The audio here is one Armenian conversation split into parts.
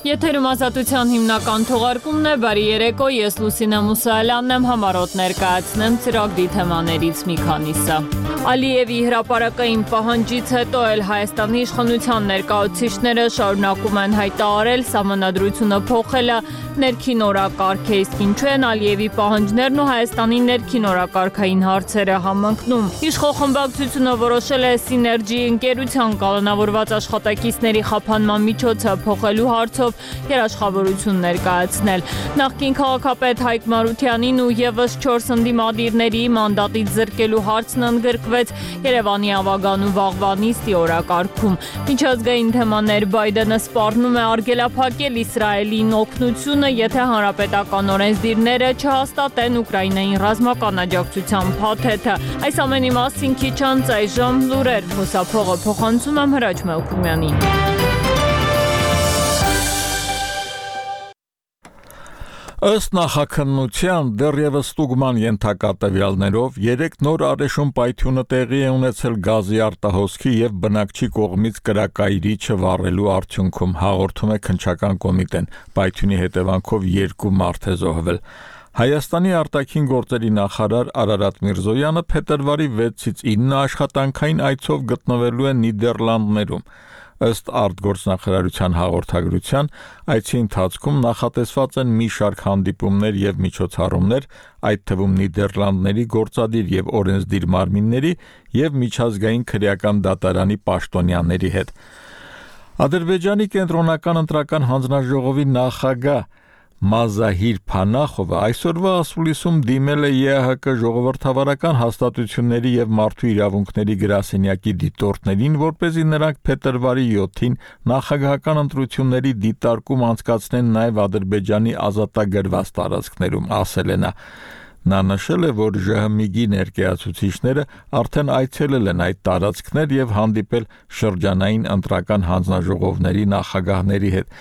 Եթերում ազատության հիմնական թողարկումն է, բարի երեկո, ես Լուսինե Մուսայելյանն եմ, համառոտ ներկայացնեմ ծրագրի թեմաներից մի քանիսը։ Ալիևի հրապարակային պահանջից հետո էլ Հայաստանի իշխանության ներկայացուցիչները շարունակում են հայտարարել սահմանադրությունը փոխելը ներքին օրակարգ է, իսկ ինչու են Ալիևի պահանջներն ու Հայաստանի ներքին օրակարգային հարցերը համընկնում։ Իշխող խմբակցությունը որոշել է Սիներգի ընկերության կալանավորված աշխատակիցների խափանման միջոցը փոխելու հարցով երաշխավորություն ներկայացնել։ Նախկին քաղաքապետ Հայկ Մարությանին ու եւս 4 ընդդիմադիրների մանդատից զրկելու հարցն ընդգրկվեց Երևանի ավագան ու վաղվա նիստի օրակարգում։ Միջազգային թեմաներ Բայդենը սպառնում է արգելափակել Իսրայելին օգնությունը, եթե հանրապետական օրենսդիրները չհաստատեն Ուկրաինային ռազմական աջակցության փաթեթը։ Այս ամենի մասին քիչ անց այժմ լուրեր խոսափողը փոխանցում եմ Հրաչ Մելքումյանին։ Ըստ նախաքննության դեռևս ստուգման ենթակա տվյալներով 3 նոր առեշում պայթյունը տեղի է ունեցել գազի արտահոսքի եւ բնակչի կողմից կրակայիրիչը վառելու արդյունքում, հաղորդում է քննչական կոմիտեն։ Պայթյունի հետևանքով 2 մարդ է զոհվել։ Հայաստանի արտաքին գործերի նախարար Արարատ Միրզոյանը փետրվարի 6-ից 9 աշխատանքային այցով գտնվելու է Նիդերլանդներում։ Ըստ արտգործնախարարության հաղորդագրության, այցի ընթացքում նախատեսված են մի շարք հանդիպումներ եւ միջոցառումներ, այդ թվում Նիդերլանդների գործադիր եւ օրենսդիր մարմինների եւ միջազգային քրեական դատարանի պաշտոնյաների հետ։ Ադրբեջանի կենտրոնական ընտրական հանձնաժողովի նախագահ Մազահիր Փանախովը այսօրվա ասուլիսում դիմել է ԵԱՀԿ ժողովրդավարական հաստատությունների եւ մարդու իրավունքների գրասենյակի դիտորդներին, որպեսզի նրանք փետրվարի 7-ին նախագահական ընտրությունների դիտարկում անցկացնեն նաեւ Ադրբեջանի ազատագրված տարածքներում, ասել է նա։ Նա նշել է, որ ԺՀՄԻԳ-ի ներկայացուցիչները արդեն այցելել են այդ տարածքներ եւ հանդիպել շրջանային ընտրական հանձնաժողովների նախագահների հետ։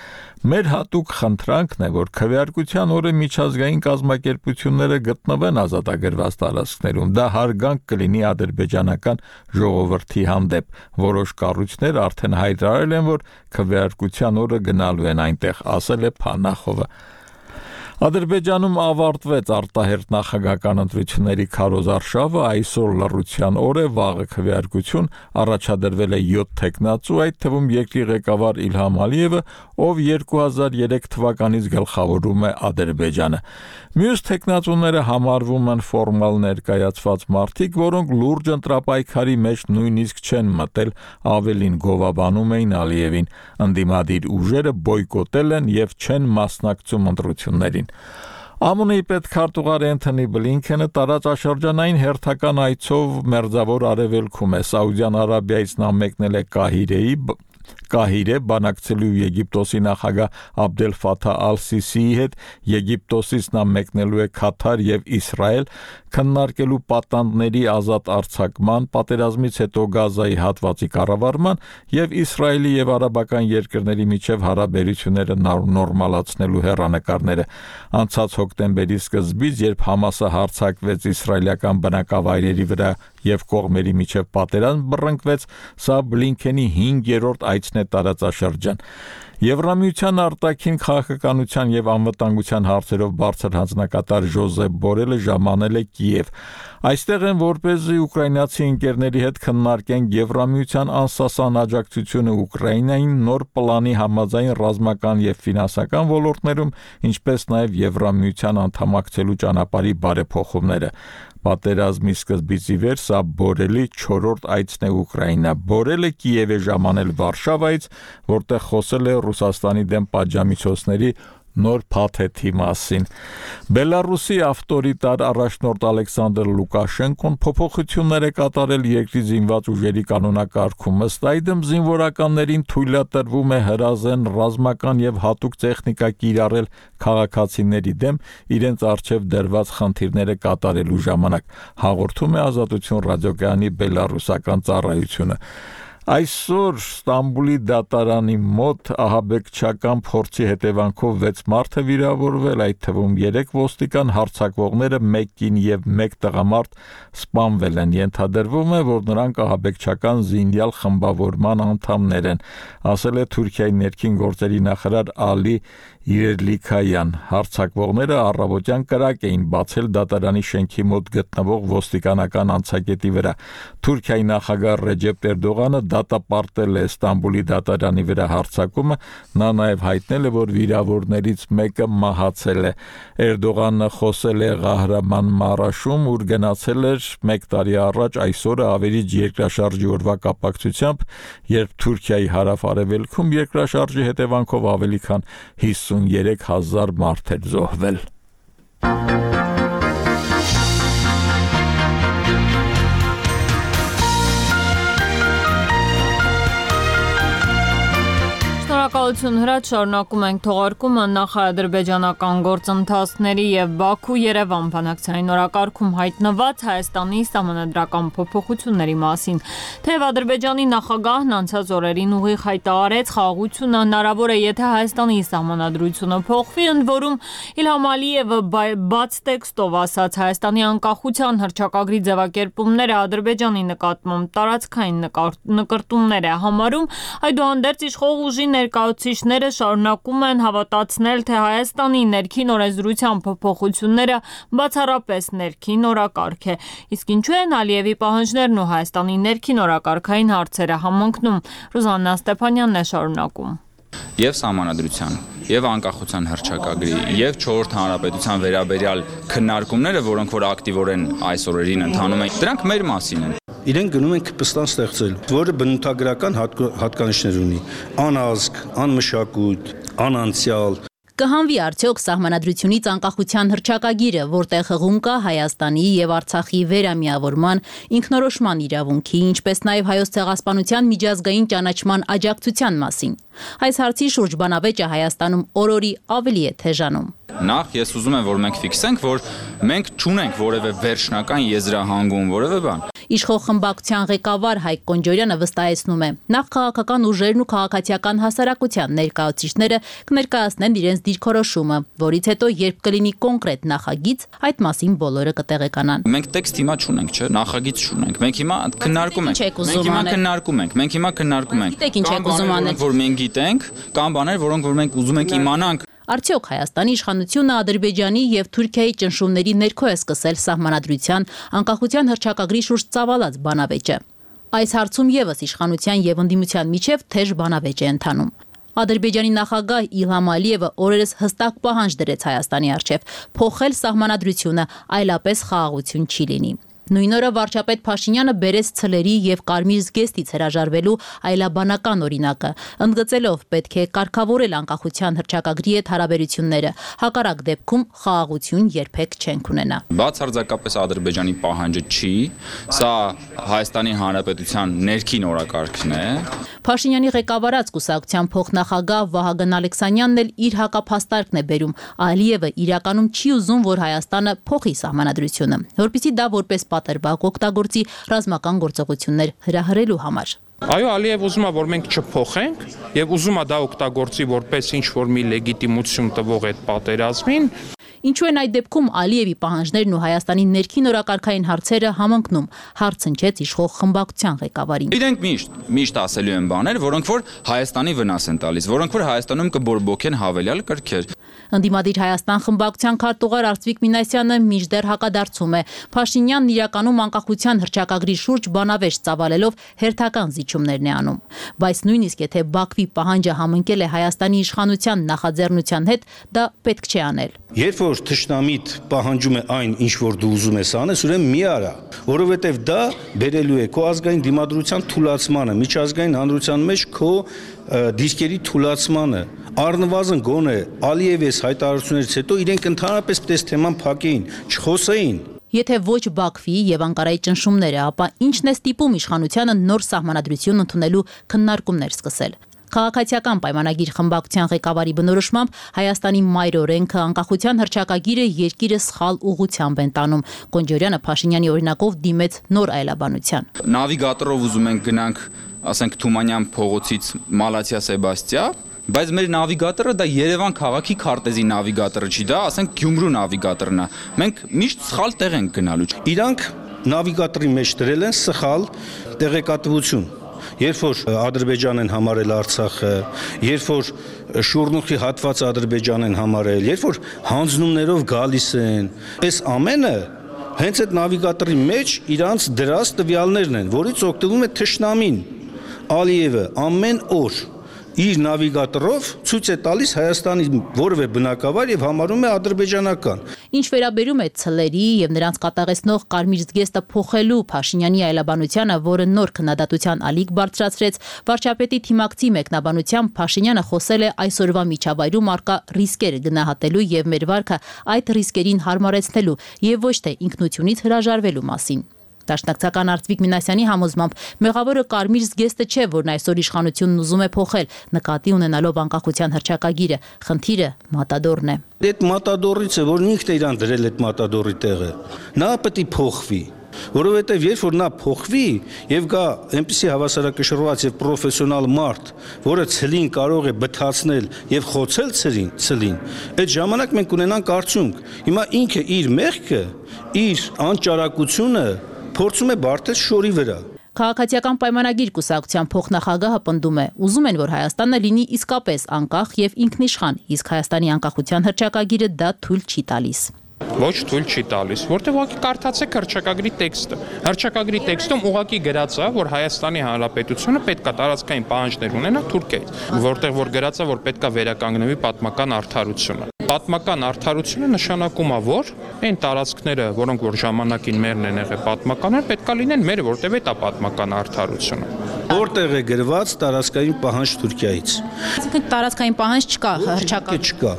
Մեր հատուկ խնդրանքն է, որ քվեարկության օրը միջազգային կազմակերպությունները գտնվեն ազատագրված տարածքներում։ Դա հարգանք կլինի ադրբեջանական ժողովրդի հանդեպ։ Որոշ կառույցներ արդեն հայտարարել են, որ քվեարկության օրը գնալու են այնտեղ, ասել է Փանախովը։ Ադրբեջանում ավարտվեց արտահերթ նախագահական ընտրությունների քարոզարշավը, այսօր լռության օր է, վաղը քվեարկություն, առաջադրվել է 7 թեկնածու, այդ թվում երկրի ղեկավար Իլհամ Ալիևը, ով 2003 թվականից գլխավորում է Ադրբեջանը։ Մյուս թեկնածուները համարվում են ֆորմալ ներկայացված մարդիկ, որոնք լուրջ ընտրապայքարի մեջ նույնիսկ չեն մտել, ավելին գովաբանում էին Ալիևին։ Ընդդիմադիր ուժերը բոյկոտել են եւ չեն մասնակցում ընտրություններին։ ԱՄՆ-ի պետքարտուղար Էնթոնի Բլինքենը տարածաշրջանային հերթական այցով Մերձավոր Արևելքում է։ Սաուդյան Արաբիայից նա մեկնել է Կահիրե բանակցելու Եգիպտոսի նախագահ Աբդել Ֆաթահ Ալ-Սիսիի հետ, Եգիպտոսից նա մեկնելու է Քաթար եւ Իսրայել, քննարկելու պատանդների ազատ արձակման, պատերազմից հետո Գազայի հատվածի կառավարման եւ Իսրայելի եւ արաբական երկրների միջև հարաբերությունները նորմալացնելու հեռանկարները։ Անցած հոկտեմբերի սկզբից, երբ Համասը հարձակվեց իսրայելական բնակավայրերի վրա եւ կողմերի միջև պատերազմ բռնկվեց, սա Բլինքենի 5-րդ այցն է տարածաշրջան։ Եվրամիության արտաքին քաղաքականության եւ անվտանգության հարցերով բարձր հանձնակատար Ժոզեփ Բորելը ժամանել է Կիև։ Այստեղ են, որպեսզի ուկրաինացի ընկերների հետ քննարկեն Եվրամիության անսասան աջակցությունը Ուկրաինային նոր պլանի համաձայն ռազմական եւ ֆինանսական ոլորտներում, ինչպես նաեւ Եվրամիության անդամակցելու ճանապարհի բարեփոխումները։ Պատերազմի սկզբից ի վեր սա Բորելի 4-րդ այցն է Ուկրաինա։ Բորելը Կիև է ժամանել Վարշավայից, որտեղ խոսել է Ռուսաստանի դեմ պատժամիջոցների նոր փաթեթի մասին։ Բելարուսի ավտորիտար առաջնորդ Ալեքսանդր Լուկաշենկոն փոփոխություններ է կատարել երկրի զինված ուժերի կանոնակարգում։ Ըստ այդմ զինվորականներին թույլատրվում է հրազեն ռազմական եւ հատուկ տեխնիկա կիրառել քաղաքացիների դեմ իրենց առջև դրված խնդիրները կատարելու ժամանակ, հաղորդում է Ազատություն ռադիոկայանի բելարուսական ծառայությունը։ Այսօր Ստամբուլի դատարանի մոտ ահաբեկչական փորձի հետևանքով 6 մարդ է վիրավորվել, այդ թվում 3 ոստիկան, հարձակվողները 1 կին եւ 1 տղամարդ սպանվել են։ Ենթադրվում է, որ նրանք ահաբեկչական զինյալ խմբավորման անդամներ են, ասել է Թուրքիայի ներքին գործերի նախարար Ալի Իրելիքայան։ Հարձակվողները առավոտյան կրակ էին բացել դատարանի շենքի մոտ գտնվող ոստիկանական անցակետի վրա։ Թուրքիայի նախագահ Ռեջեփ Էրդողանը դատապարտել է Ստամբուլի դատարանի վրա հարձակումը, նա նաև հայտնել է, որ վիրավորներից մեկը մահացել է։ Էրդողանը խոսել է Ղահրաման մարաշում, ուր գնացել էր 1 տարի առաջ այսօրը ավերիչ երկրաշարժի օրվա կապակցությամբ, երբ Թուրքիայի հարավ-արևելքում երկրաշարժի հետևանքով ավելի քան 53,000 մարդ էր զոհվել։ Շնորհակալություն Հրաչ, շարունակում ենք թողարկումը նախ-ադրբեջանական գործընթացների եւ Բաքու-Երևան բանակցային օրակարգում հայտնված Հայաստանի սահմանադրական փոփոխությունների մասին։ Թեև Ադրբեջանի նախագահն անցած օրերին ուղիղ հայտարարեց, խաղաղությունը հնարավոր է, եթե Հայաստանի սահմանադրությունը փոխվի, ընդ որում Իլհամ Ալիևը բաց տեքստով ասաց, Հայաստանի անկախության հռչակագրի ձևակերպումները Ադրբեջանի նկատմամբ տարածքային նկրտումներ է համարում, այդուհանդերձ իշխող ուժի ներկայացուցիչները շարունակում են հավատացնել, թե Հայաստանի ներքին օրենսդրության փոփոխությունները բացառապես ներքին օրակարգ է։ Իսկ ինչու են Ալիևի պահանջներն ու Հայաստանի ներքին օրակարգային հարցերը համընկնում։ Ռուզաննա Ստեփանյանն է շարունակում։ Եվ սահմանադրության, եւ անկախության հռչակագրի, եւ 4-րդ հանրապետության վերաբերյալ քննարկումները, որոնք որ ակտիվորեն այս օրերին ընթանում են, դրանք մեր մասին են։ Իրենք գնում են Քպստան ստեղծել, որը բնութագրական հատկանիշներ ունի՝ անազգ, անմշակույթ, անանցյալ։ Կհանվի արդյոք սահմանադրությունից անկախության հռչակագիրը, որտեղ հղում կա Հայաստանի եւ Արցախի վերամիավորման, ինքնորոշման իրավունքի, ինչպես նաեւ Հայոց ցեղասպանության միջազգային ճանաչման աջակցության մասին։ Այս հարցի շուրջ բանավեճը Հայաստանում օրորի ավելի է թեժանում։ Նախ ես ուզում եմ, որ մենք ֆիքսենք, որ մենք չունենք որևէ վերջնական եզրահանգում, որևէ բան։ Իշխող խմբակցության ղեկավար Հայկ Կոնջորյանը վստահեցնում է, նախ քաղաքական ուժերն ու քաղաքացիական հասարակության ներկայացուցիչները կներկայացնեն իրենց դիրքորոշումը, որից հետո երբ կլինի կոնկրետ նախագիծ, այդ մասին բոլորը կտեղեկանան։ Մենք տեքստ հիմա չունենք, չէ՞, նախագիծ չունենք։ Մենք հիմա քննարկում ենք։ Մենք հիմա քննարկում ենք։ Գիտեք ինչ եք ուզում անել։ Որ մենք գիտենք, կամ բաներ, որոնք որ մենք ուզում ենք իմանանք։ Արդյոք Հայաստանի իշխանությունը Ադրբեջանի եւ Թուրքիայի ճնշումների ներքո է սկսել սահմանադրության անկախության հռչակագրի շուրջ ծավալած բանավեճը։ Այս հարցում եւս իշխանության եւ ընդդիմության միջև թեժ բանավեճ է ընթանում։ Ադրբեջանի նախագահ Իլհամ Ալիևը օրերս հստակ պահանջ դրեց Հայաստանի առջև փոխել սահմանադրությունը, այլապես խաղաղություն չի լինի։ Նույն օրը վարչապետ Փաշինյանը բերեց ցլերի եւ կարմիր զգեստից հրաժարվելու այլաբանական օրինակը, ընդգծելով պետք է կարգավորել անկախության հռչակագրի հետ հարաբերությունները, հակառակ դեպքում խաղաղություն երբեք չենք ունենա։ Բացարձակապես Ադրբեջանի պահանջը չի, սա Հայաստանի Հանրապետության ներքին օրակարգն է։ Փաշինյանի ղեկավարած կուսակցության փոխնախագահ Վահագն Ալեքսանյանն էլ իր հակափաստարկն է բերում։ Ալիևը իրականում չի ուզում, որ Հայաստանը փոխի սահմանադրությունը, որպեսզի դա որպես պատրվակ օգտագործի ռազմական գործողություններ հրահրելու համար։ Այո, Ալիև ուզում է, որ մենք չփոխենք եւ ուզում է դա օգտագործի որպես ինչ-որ մի լեգիտիմություն տվող այդ պատերազմին։ Ինչու են այդ դեպքում Ալիևի պահանջներն ու Հայաստանի ներքին օրակարգային հարցերը համընկնում, հարց հնչեց իշխող խմբակցության ղեկավարին։ Իրենք միշտ ասելու են բաներ, որոնք որ Հայաստանի վնաս են տալիս, որոնք որ Հայաստանում կբորբոքեն հավելյալ կրքեր։ Ընդդիմադիր Հայաստան խմբակցության քարտուղար Արծվիկ Մինասյանը մինչդեռ հակադարձում է։ Փաշինյանն իրականում անկախության հռչակագրի շուրջ բանավեճ ծավալելով հերթական զիջումներն է անում։ Բայց նույնիսկ եթե Բաքվի պահանջը համընկել է Հայաստանի իշխանության նախաձեռնության հետ, դա պետք չէ անել։ Երբ որ թշնամիտ պահանջում է այն, ինչ որ դու ուզում ես անես, ուրեմն մի արա, որովհետև դա բերելու է քո ազգային դիմադրության թուլացմանը, միջազգային հանրության մեջ քո դիրքերի թուլացմանը։ Առնվազն գոնե Ալիևի հայտարարություններից հետո իրենք ընդհանրապես պես թեման փակեին, չխոսեին։ Եթե ոչ Բաքվի եւ Անկարայի ճնշումները, ապա ինչն է ստիպում իշխանությանը նոր սահմանադրություն ընդունելու քննարկումներ սկսել։ Քաղաքացիական պայմանագիր խմբակցության ղեկավարի բնորոշմամբ Հայաստանի մայր օրենքը անկախության հռչակագիրը երկիրը սխալ ուղղությամբ են տանում։ Գոնջարյանը Փաշինյանի օրինակով դիմեց նոր այլաբանության։ Նավիգատորով ուզում ենք գնանք, ասենք Թումանյան փողոցից Մալաթիա Սեբաստիա, բայց մեր նավիգատորը դա Երևան քաղաքի քարտեզի նավիգատորը չի, դա ասենք Գյումրու նավիգատորն է։ Մենք միշտ սխալ տեղ ենք գնալու։ Իրանք նավիգատորի մեջ դրել են սխալ տեղեկատվություն։ Երբ որ Ադրբեջան են համարել Արցախը, երբ որ շուրնուխի հատվածը Ադրբեջան են համարել, երբ որ հանձնումներով գալիս են, այս ամենը հենց այդ նավիգատորի մեջ իրանց դրած տվյալներն են, որից օգտվում է թշնամին Ալիևը ամեն օր իր նավիգատորով ցույց է տալիս Հայաստանի որևէ բնակավար եւ համարում է ադրբեջանական։ Ինչ վերաբերում է ցլերի եւ նրանց կատաղեցնող կարմիր զգեստը փոխելու Փաշինյանի այլաբանությանը, որը նոր քննադատության ալիք բարձրացրեց, վարչապետի թիմակցի մեկնաբանությամբ Փաշինյանը խոսել է այսօրվա միջավայրում արկա ռիսկերը գնահատելու եւ մեր վարքը այդ ռիսկերին հարմարեցնելու եւ ոչ թե ինքնությունից հրաժարվելու մասին։ Դաշնակցական Արտվիկ Մինասյանի համոզմամբ մեղավորը կարմիր զգեստը չէ, որն այսօր իշխանությունն ուզում է փոխել, նկատի ունենալով անկախության հռչակագիրը, խնդիրը մատադորն է։ Այդ մատադորից է, որ ինքն է իրան դրել այդ մատադորի տեղը։ Նա պետք է փոխվի, որովհետև երբ որ նա փոխվի եւ գա այնպիսի հավասարակշռված եւ պրոֆեսիոնալ մարդ, որը ցլին կարող է բթացնել եւ խոցել ցլին, այդ ժամանակ մենք ունենանք արդյունք։ Հիմա ինքը իր մեղքը, իր անճարակությունը փորձում է բարթել շորի վրա։ Քաղաքացիական պայմանագիր կուսակցության փոխնախագահը պնդում է, ուզում են, որ Հայաստանը լինի իսկապես անկախ եւ ինքնիշխան, իսկ Հայաստանի անկախության հռչակագիրը դա թույլ չի տալիս։ Ոչ թույլ չի տալիս, որտեղ ուղղակի կարդացեք հռչակագրի տեքստը։ Հռչակագրի տեքստում ուղղակի գրած է, որ Հայաստանի Հանրապետությունը պետք է տարածքային պահանջներ ունենա Թուրքիայից, որտեղ որ գրած է, որ պետք է վերականգնվի պատմական արդարությունը։ Պատմական արդարությունը նշանակում է, որ այն տարածքները, որոնք որ ժամանակին մերն են եղել պատմականներ, պետք է լինեն մեր, որտեղ է պատմական արդարությունը։ Որտեղ է գրված տարածքային պահանջ Թուրքիայից։ Այսինքն տարածքային պահանջ չկա, հռչակագիր չկա։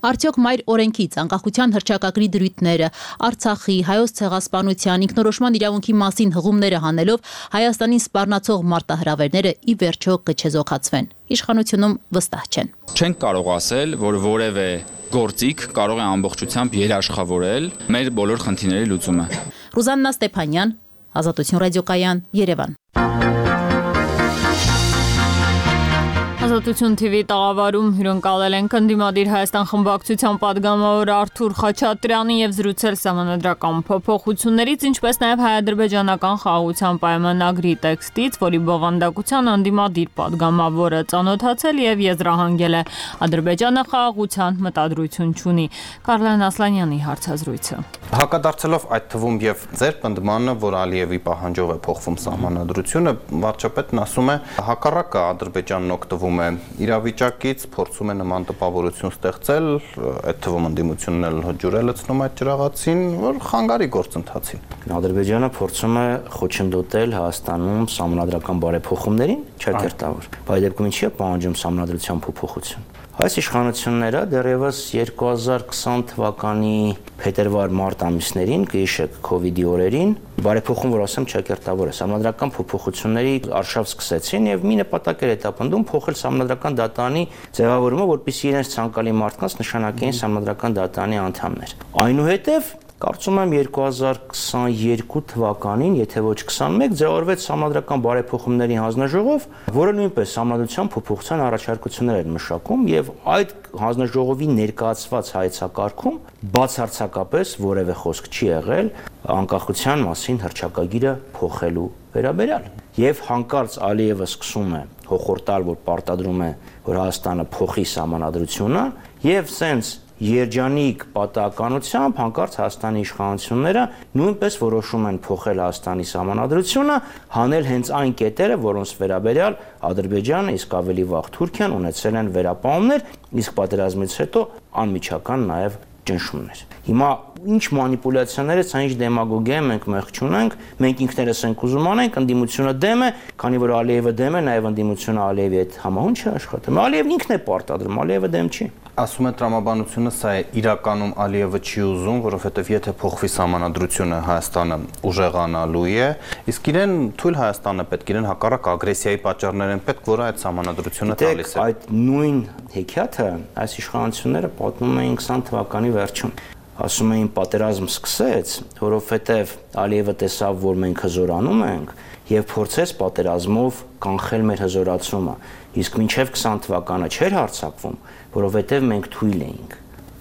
Արդյոք մայր օրենքից անկախության հռչակագրի դրույթները, Արցախի, հայոց ցեղասպանության, ինքնորոշման իրավունքի մասին հղումները հանելով Հայաստանին սպառնացող մարտահրավերները ի վերջո կչեզոքացվեն։ Իշխանությունում վստահ չեն։ Չենք կարող ասել, որ որևէ գործիք կարող է ամբողջությամբ երաշխավորել մեր բոլոր խնդիրների լուծումը։ Ռուզաննա Ստեփանյան, Ազատություն ռադիոկայան, Երևան։ Ազատություն TV տաղավարում հյուրընկալել են ընդդիմադիր Հայաստան խմբակցության падգամավոր Արթուր Խաչատրյանին եւ զրուցել սահմանադրական փոփոխություններից, ինչպես նաեւ հայ-ադրբեջանական խաղաղության պայմանագրի տեքստից, որի բովանդակության ընդդիմադիր падգամավորը ծանոթացել եւ եզրահանգել է Ադրբեջանը խաղաղության մտադրություն չունի։ Կարլեն Ասլանյանի հարցազրույցը։ Հակադարձելով այդ թվում եւ ձեր պնդմանը, որ Ալիևի պահանջով է փոխվում սահմանադրությունը, վարչապետն ասում է, հակառակը Ադրբեջանն օգտվում է իրավիճակից, փորձում է նման տպավորություն ստեղծել, այդ թվում ընդդիմությունն էլ հջուր է լցնում այդ ջրաղացին, որ խանգարի գործընթացին։ Ադրբեջանը փորձում է խոչընդոտել Հայաստանում սահմանադրական բարեփոխումներին, չակերտավոր։ Բայց դեպքում ինչի է պահանջում սահմանադրության փոփոխություն։ Այս իշխանությունները դեռևս 2020 թվականի փետրվար-մարտ ամիսներին, կհիշեք, COVID-ի օրերին, բարեփոխում, որ ասեմ, չակերտավոր է, սահմանադրական փոփոխությունների արշավ սկսեցին եւ մի նպատակ էր հետապնդում փոխել սահմանադրական դատարանի ձևավորումը, որպեսզի իրենց ցանկալի մարդկանց նշանակեին սահմանադրական դատարանի անդամներ։ Այնուհետեւ կարծում եմ 2022 թվականին, եթե ոչ 21, ձևավորվեց սահմանադրական բարեփոխումների հանձնաժողով, որը նույնպես սահմանադրության փոփոխության առաջարկություններ էր մշակում եւ այդ հանձնաժողովի ներկայացված հայեցակարգում բացարձակապես որևէ խոսք չի եղել անկախության մասին հռչակագիրը փոխելու վերաբերյալ։ Եվ հանկարծ Ալիևը սկսում է հոխորտալ, որ պարտադրում է, որ Հայաստանը փոխի սահմանադրությունը եւ սենց երջանիկ պատահականությամբ հանկարծ Հայաստանի իշխանությունները նույնպես որոշում են փոխել Հայաստանի սահմանադրությունը, հանել հենց այն կետերը, որոնց վերաբերյալ Ադրբեջանը, իսկ ավելի վաղ Թուրքիան ունեցել են վերապահումներ, իսկ պատերազմից հետո անմիջական նաև ճնշումներ։ Հիմա ինչ մանիպուլյացիաներ է, ցա ինչ դեմագոգիա է, մենք մեղ չունենք, մենք ինքներս ենք ուզում անենք, ընդդիմությունը դեմ է, քանի որ Ալիևը դեմ է, նաև ընդդիմությունը Ալիևի հետ համահունչ է աշխատում։ Ալիևն ինքն է պարտադրում, Ալիևը դեմ չի։ Ասում է տրամաբանությունը սա է իրականում Ալիևը չի ուզում, որովհետև եթե փոխվի սահմանադրությունը Հայաստանը ուժեղանալու է, իսկ իրեն թույլ Հայաստանը պետք, իրեն հակառակ ագրեսիայի պատճառներ են պետք, որը այդ սահմանադրությունը տալիս է։ Այդ նույն հեքիաթը այս իշխանությունները պատմում էին 20 թվականի վերջում։ Ասում էին պատերազմ սկսեց, որովհետև Ալիևը տեսավ, որ մենք հզորանում ենք եւ փորձեց պատերազմով կանխել մեր հզորացումը, իսկ մինչեւ 20 թվականը չէր հարձակվում, որովհետեւ մենք թույլ էինք։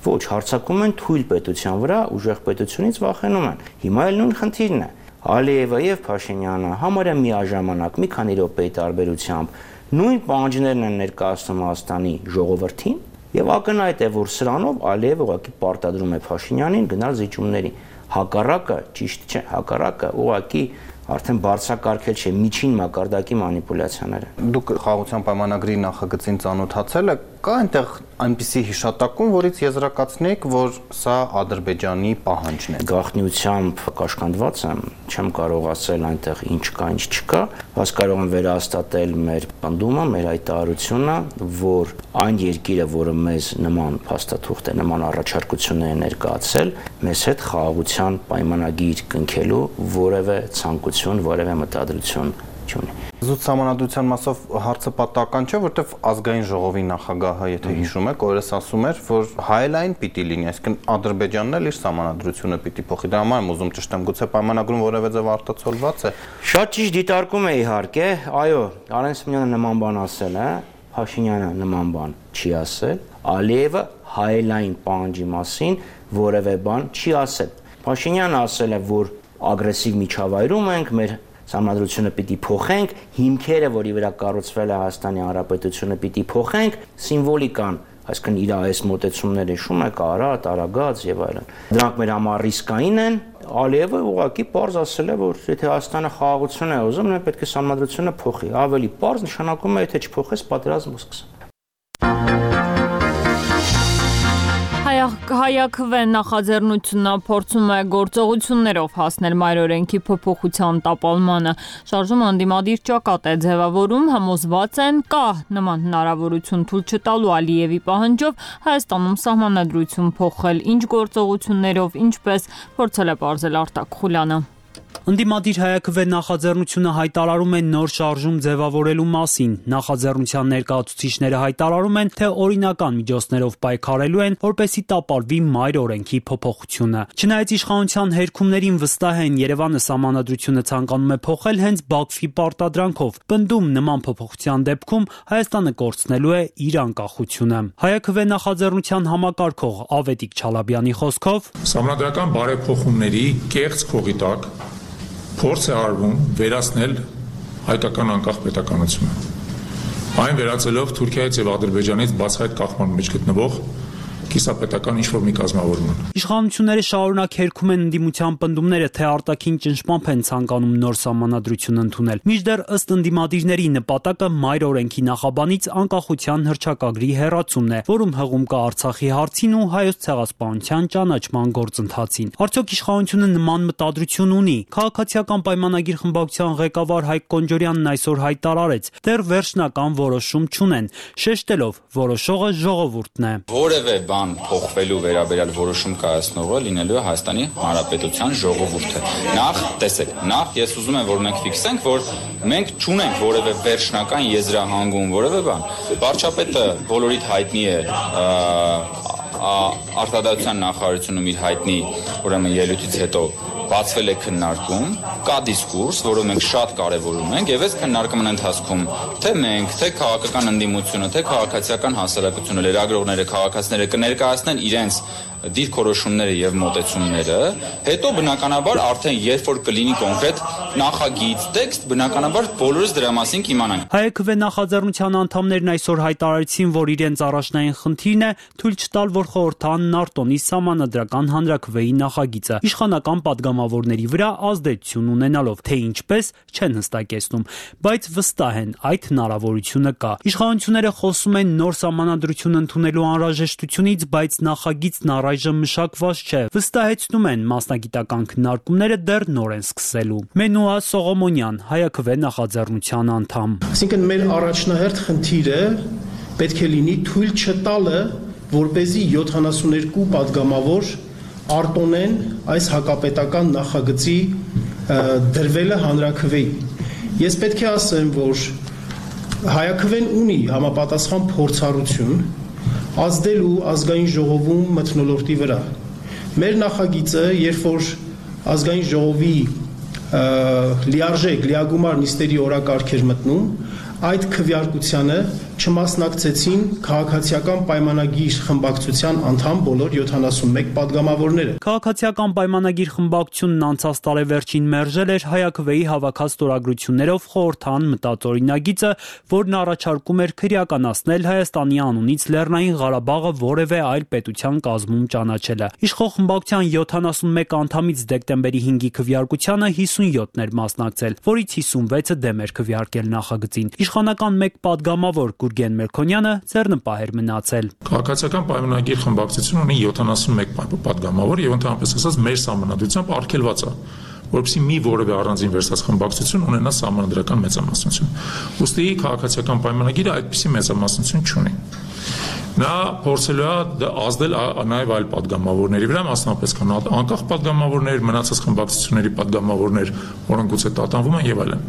Ոչ, հարձակվում են թույլ պետության վրա, ուժեղ պետությունից վախենում են։ Հիմա էլ նույն խնդիրն է։ Ալիևը եւ Փաշինյանը համարյա միաժամանակ մի քանի րոպեի տարբերությամբ նույն պահանջներն են ներկայացնում Հայաստանի ժողովրդին եւ ակնհայտ է, որ սրանով Ալիևը ուղղակի պարտադրում է Փաշինյանին գնալ զիջումների։ Հակառակը ճիշտ չէ, հակառակը ուղղակի արդեն բարձրակարգել չէ միջին մակարդակի մանիպուլյացիաները։ Դուք խաղաղության պայմանագրի նախագծին ծանոթացել եք, կա այնտեղ այնպիսի հիշատակում, որից եզրակացնեք, որ սա Ադրբեջանի պահանջն է։ Գաղտնիությամբ կաշկանդված եմ, չեմ կարող ասել այնտեղ ինչ կա, ինչ չկա, բայց կարող եմ վերահաստատել մեր պնդումը, մեր հայտարարությունը, որ այն երկիրը, որը մեզ նման փաստաթուղթ է, նման առաջարկություններ է ներկայացել, մեզ հետ խաղաղության պայմանագիր կնքելու որևէ ցանկություն, որևէ մտադրություն չունի։ Զուտ սահմանադրության մասով հարցը պատահական չէ, որտեղ ազգային ժողովի նախագահը, եթե հիշում եք, օրս ասում էր, որ հայելային պիտի լինի, այսինքն Ադրբեջանն էլ իր սահմանադրությունը պիտի փոխի։ Դրա համար եմ ուզում ճշտեմ, գուցե պայմանագրում որևէ ձև արտացոլված է։ Շատ ճիշտ դիտարկում է իհարկե, այո, Արեն Սիմոնյանը նման բան ասել է, Փաշինյանը նման բան չի ասել, Ալիևը հայելային պահանջի մասին որևէ բան չի ասել։ Փաշինյանը ասել է, որ ագրեսիվ միջավայրում ենք, մեր Սահմանադրությունը պիտի փոխենք, հիմքերը, որի վրա կառուցվել է Հայաստանի Հանրապետությունը, պիտի փոխենք, սիմվոլիկան, այսինքն իր այս մոտեցումները հիշում եք, Արարատ, Արագած եւ այլն։ Դրանք մեր համար ռիսկային են։ Ալիևը ուղղակի պարզ ասել է, որ եթե Հայաստանը խաղաղություն է ուզում, նա պետք է սահմանադրությունը փոխի։ Ավելի պարզ նշանակում է, եթե չփոխես, պատերազմ կսկսի։ Հայաքվե նախաձեռնությունը փորձում է գործողություններով հասնել մայրօրենքի փոփոխության տապալմանը։ Շարժումը անդիմադիր ճակատ է ձևավորում, համոզված են կա նման հնարավորություն թույլ չտալու Ալիևի պահանջով Հայաստանում սահմանադրություն փոխել, ինչ գործողություններով, ինչպես փորձել է պարզել Արտակ Խուլյանը։ Ընդդիմադիր հայաքվե նախաձեռնությունը հայտարարում է նոր շարժում ձևավորելու մասին։ Նախաձեռնության ներկայացուցիչները հայտարարում են, թե օրինական միջոցներով պայքարելու են, որպեսզի տապալվի մայր օրենքի փոփոխությունը։ Չնայած իշխանության հերքումներին վստահ են, Երևանը սահմանադրությունը ցանկանում է փոխել հենց Բաքվի պարտադրանքով։ Պնդում նման փոփոխության դեպքում Հայաստանը կորցնելու է իր անկախությունը։ Հայաքվե նախաձեռնության համակարգող Ավետիք Չալաբյանի խոսքով սահմանադրական բարեփոխումների կեղծ քողի տակ փորձ է արվում վերացնել հայկական անկախ պետականությունը։ Այն վերածելով Թուրքիայից եւ Ադրբեջանից բացահայտ կախման մեջ գտնվող կիսապետական ինչ-որ մի կազմավորման։ Իշխանությունները շարունակ հերքում են ընդդիմության պնդումները, թե արտաքին ճնշմամբ են ցանկանում նոր սահմանադրություն ընդունել։ Մինչդեռ ըստ ընդդիմադիրների նպատակը մայր օրենքի նախաբանից անկախության հռչակագրի հեռացումն է, որում հղում կա Արցախի հարցին ու հայոց ցեղասպանության ճանաչման գործընթացին։ Արդյոք իշխանությունը նման մտադրություն ունի։ Քաղաքացիական պայմանագիր խմբակցության ղեկավար Հայկ Կոնջորյանն այսօր հայտարարեց, դեռ վերջնական որոշում չունեն, շեշտելով, որոշողը ժողովուրդն է։ Որևէ բան փոխվելու վերաբերյալ որոշում կայացնողը լինելու է Հայաստանի Հանրապետության ժողովուրդը։ Նախ, տեսեք, ես ուզում եմ, որ մենք ֆիքսենք, որ մենք չունենք որևէ վերջնական եզրահանգում, որևէ բան։ Վարչապետը բոլորիդ հայտնի է արտադրության նախարարությունում իր հայտնի, ուրեմն ելույթից հետո բացվել է քննարկում, կա դիսկուրս, որը մենք շատ կարևորում ենք, եւ այս քննարկման ընթացքում թե մենք, թե քաղաքական ընդդիմությունը, թե քաղաքացիական հասարակությունը, լրագրողները, քաղաքացիները կներկայացնեն իրենց դիրքորոշումները եւ մոտեցումները, հետո բնականաբար արդեն երբ որ կլինի կոնկրետ նախագիծ, տեքստ, բնականաբար բոլորս դրա մասին կիմանանք։ Հայաքվե նախաձեռնության անդամներն այսօր հայտարարեցին, որ իրենց առաջնային խնդիրն է թույլ չտալ, որ խորհրդանն արտոնի սահմանադրական հանրաքվեի նախագիծը իշխանական падգամավորների վրա ազդեցություն ունենալով, թե ինչպես չեն հստակեցնում, բայց վստահ են այդ հնարավորությունը կա։ Իշխանությունները խոսում են նոր սահմանադրություն ընդունելու անհրաժեշտությունից, բայց նախագիծն առայժմ մշակված չէ։ Վստահեցնում են, մասնագիտական քննարկումները դեռ նոր են սկսելու։ Մենուա Սողոմոնյան, Հայաքվե նախաձեռնության անդամ։ Այսինքն մեր առաջնահերթ խնդիրը պետք է լինի թույլ չտալը որպեսզի 72 падգամավոր արտոնեն այս հակապետական նախագծի դրվելը հանրաքվեի։ Ես պետք է ասեմ, որ Հայաքվեն ունի համապատասխան փորձառություն ազդելու ազգային ժողովում մթնոլորտի վրա։ Մեր նախագիծը, երբ որ ազգային ժողովի լիարժեք, լիագումար նիստերի օրակարգ էր մտնում, այդ քվեարկությանը չմասնակցեցին քաղաքացիական պայմանագիր խմբակցության անդամ բոլոր 71 падգամավորները։ Քաղաքացիական պայմանագիր խմբակցությունն անցած տարեվերջին մերժել էր Հայաքվեի հավաքած ստորագրություններով խորհրդան մտածօրինագիծը, որն առաջարկում էր քրեականացնել Հայաստանի անունից Լեռնային Ղարաբաղը որևէ այլ պետության կազմում ճանաչելը։ Իշխող խմբակցության 71 անդամից դեկտեմբերի 5-ի քվեարկությանը 57-ն էր մասնակցել, որից 56-ը դեմ էր քվեարկել նախագծին։ Իշխանական մեկ падգամավոր Գուրգեն Մելքոնյանը ձեռնպահ էր մնացել։ Քաղաքացիական պայմանագիր խմբակցությունը ունի 71 падգամավոր եւ ընդհանրապես ասած մեր սահմանադրությամբ արգելված է, որովհետեւ մի որևէ առանձին վերսած խմբակցություն ունենա սահմանադրական մեծամասնություն։ Ուստի քաղաքացիական պայմանագիրը այդպիսի մեծամասնություն չունի։ Նա փորձելու է ազդել նաև այլ падգամավորների վրա, մասնապես կան անկախ падգամավորներ, մնացած խմբակցությունների падգամավորներ, որոնք գուցե տատանվում են եւ այլն։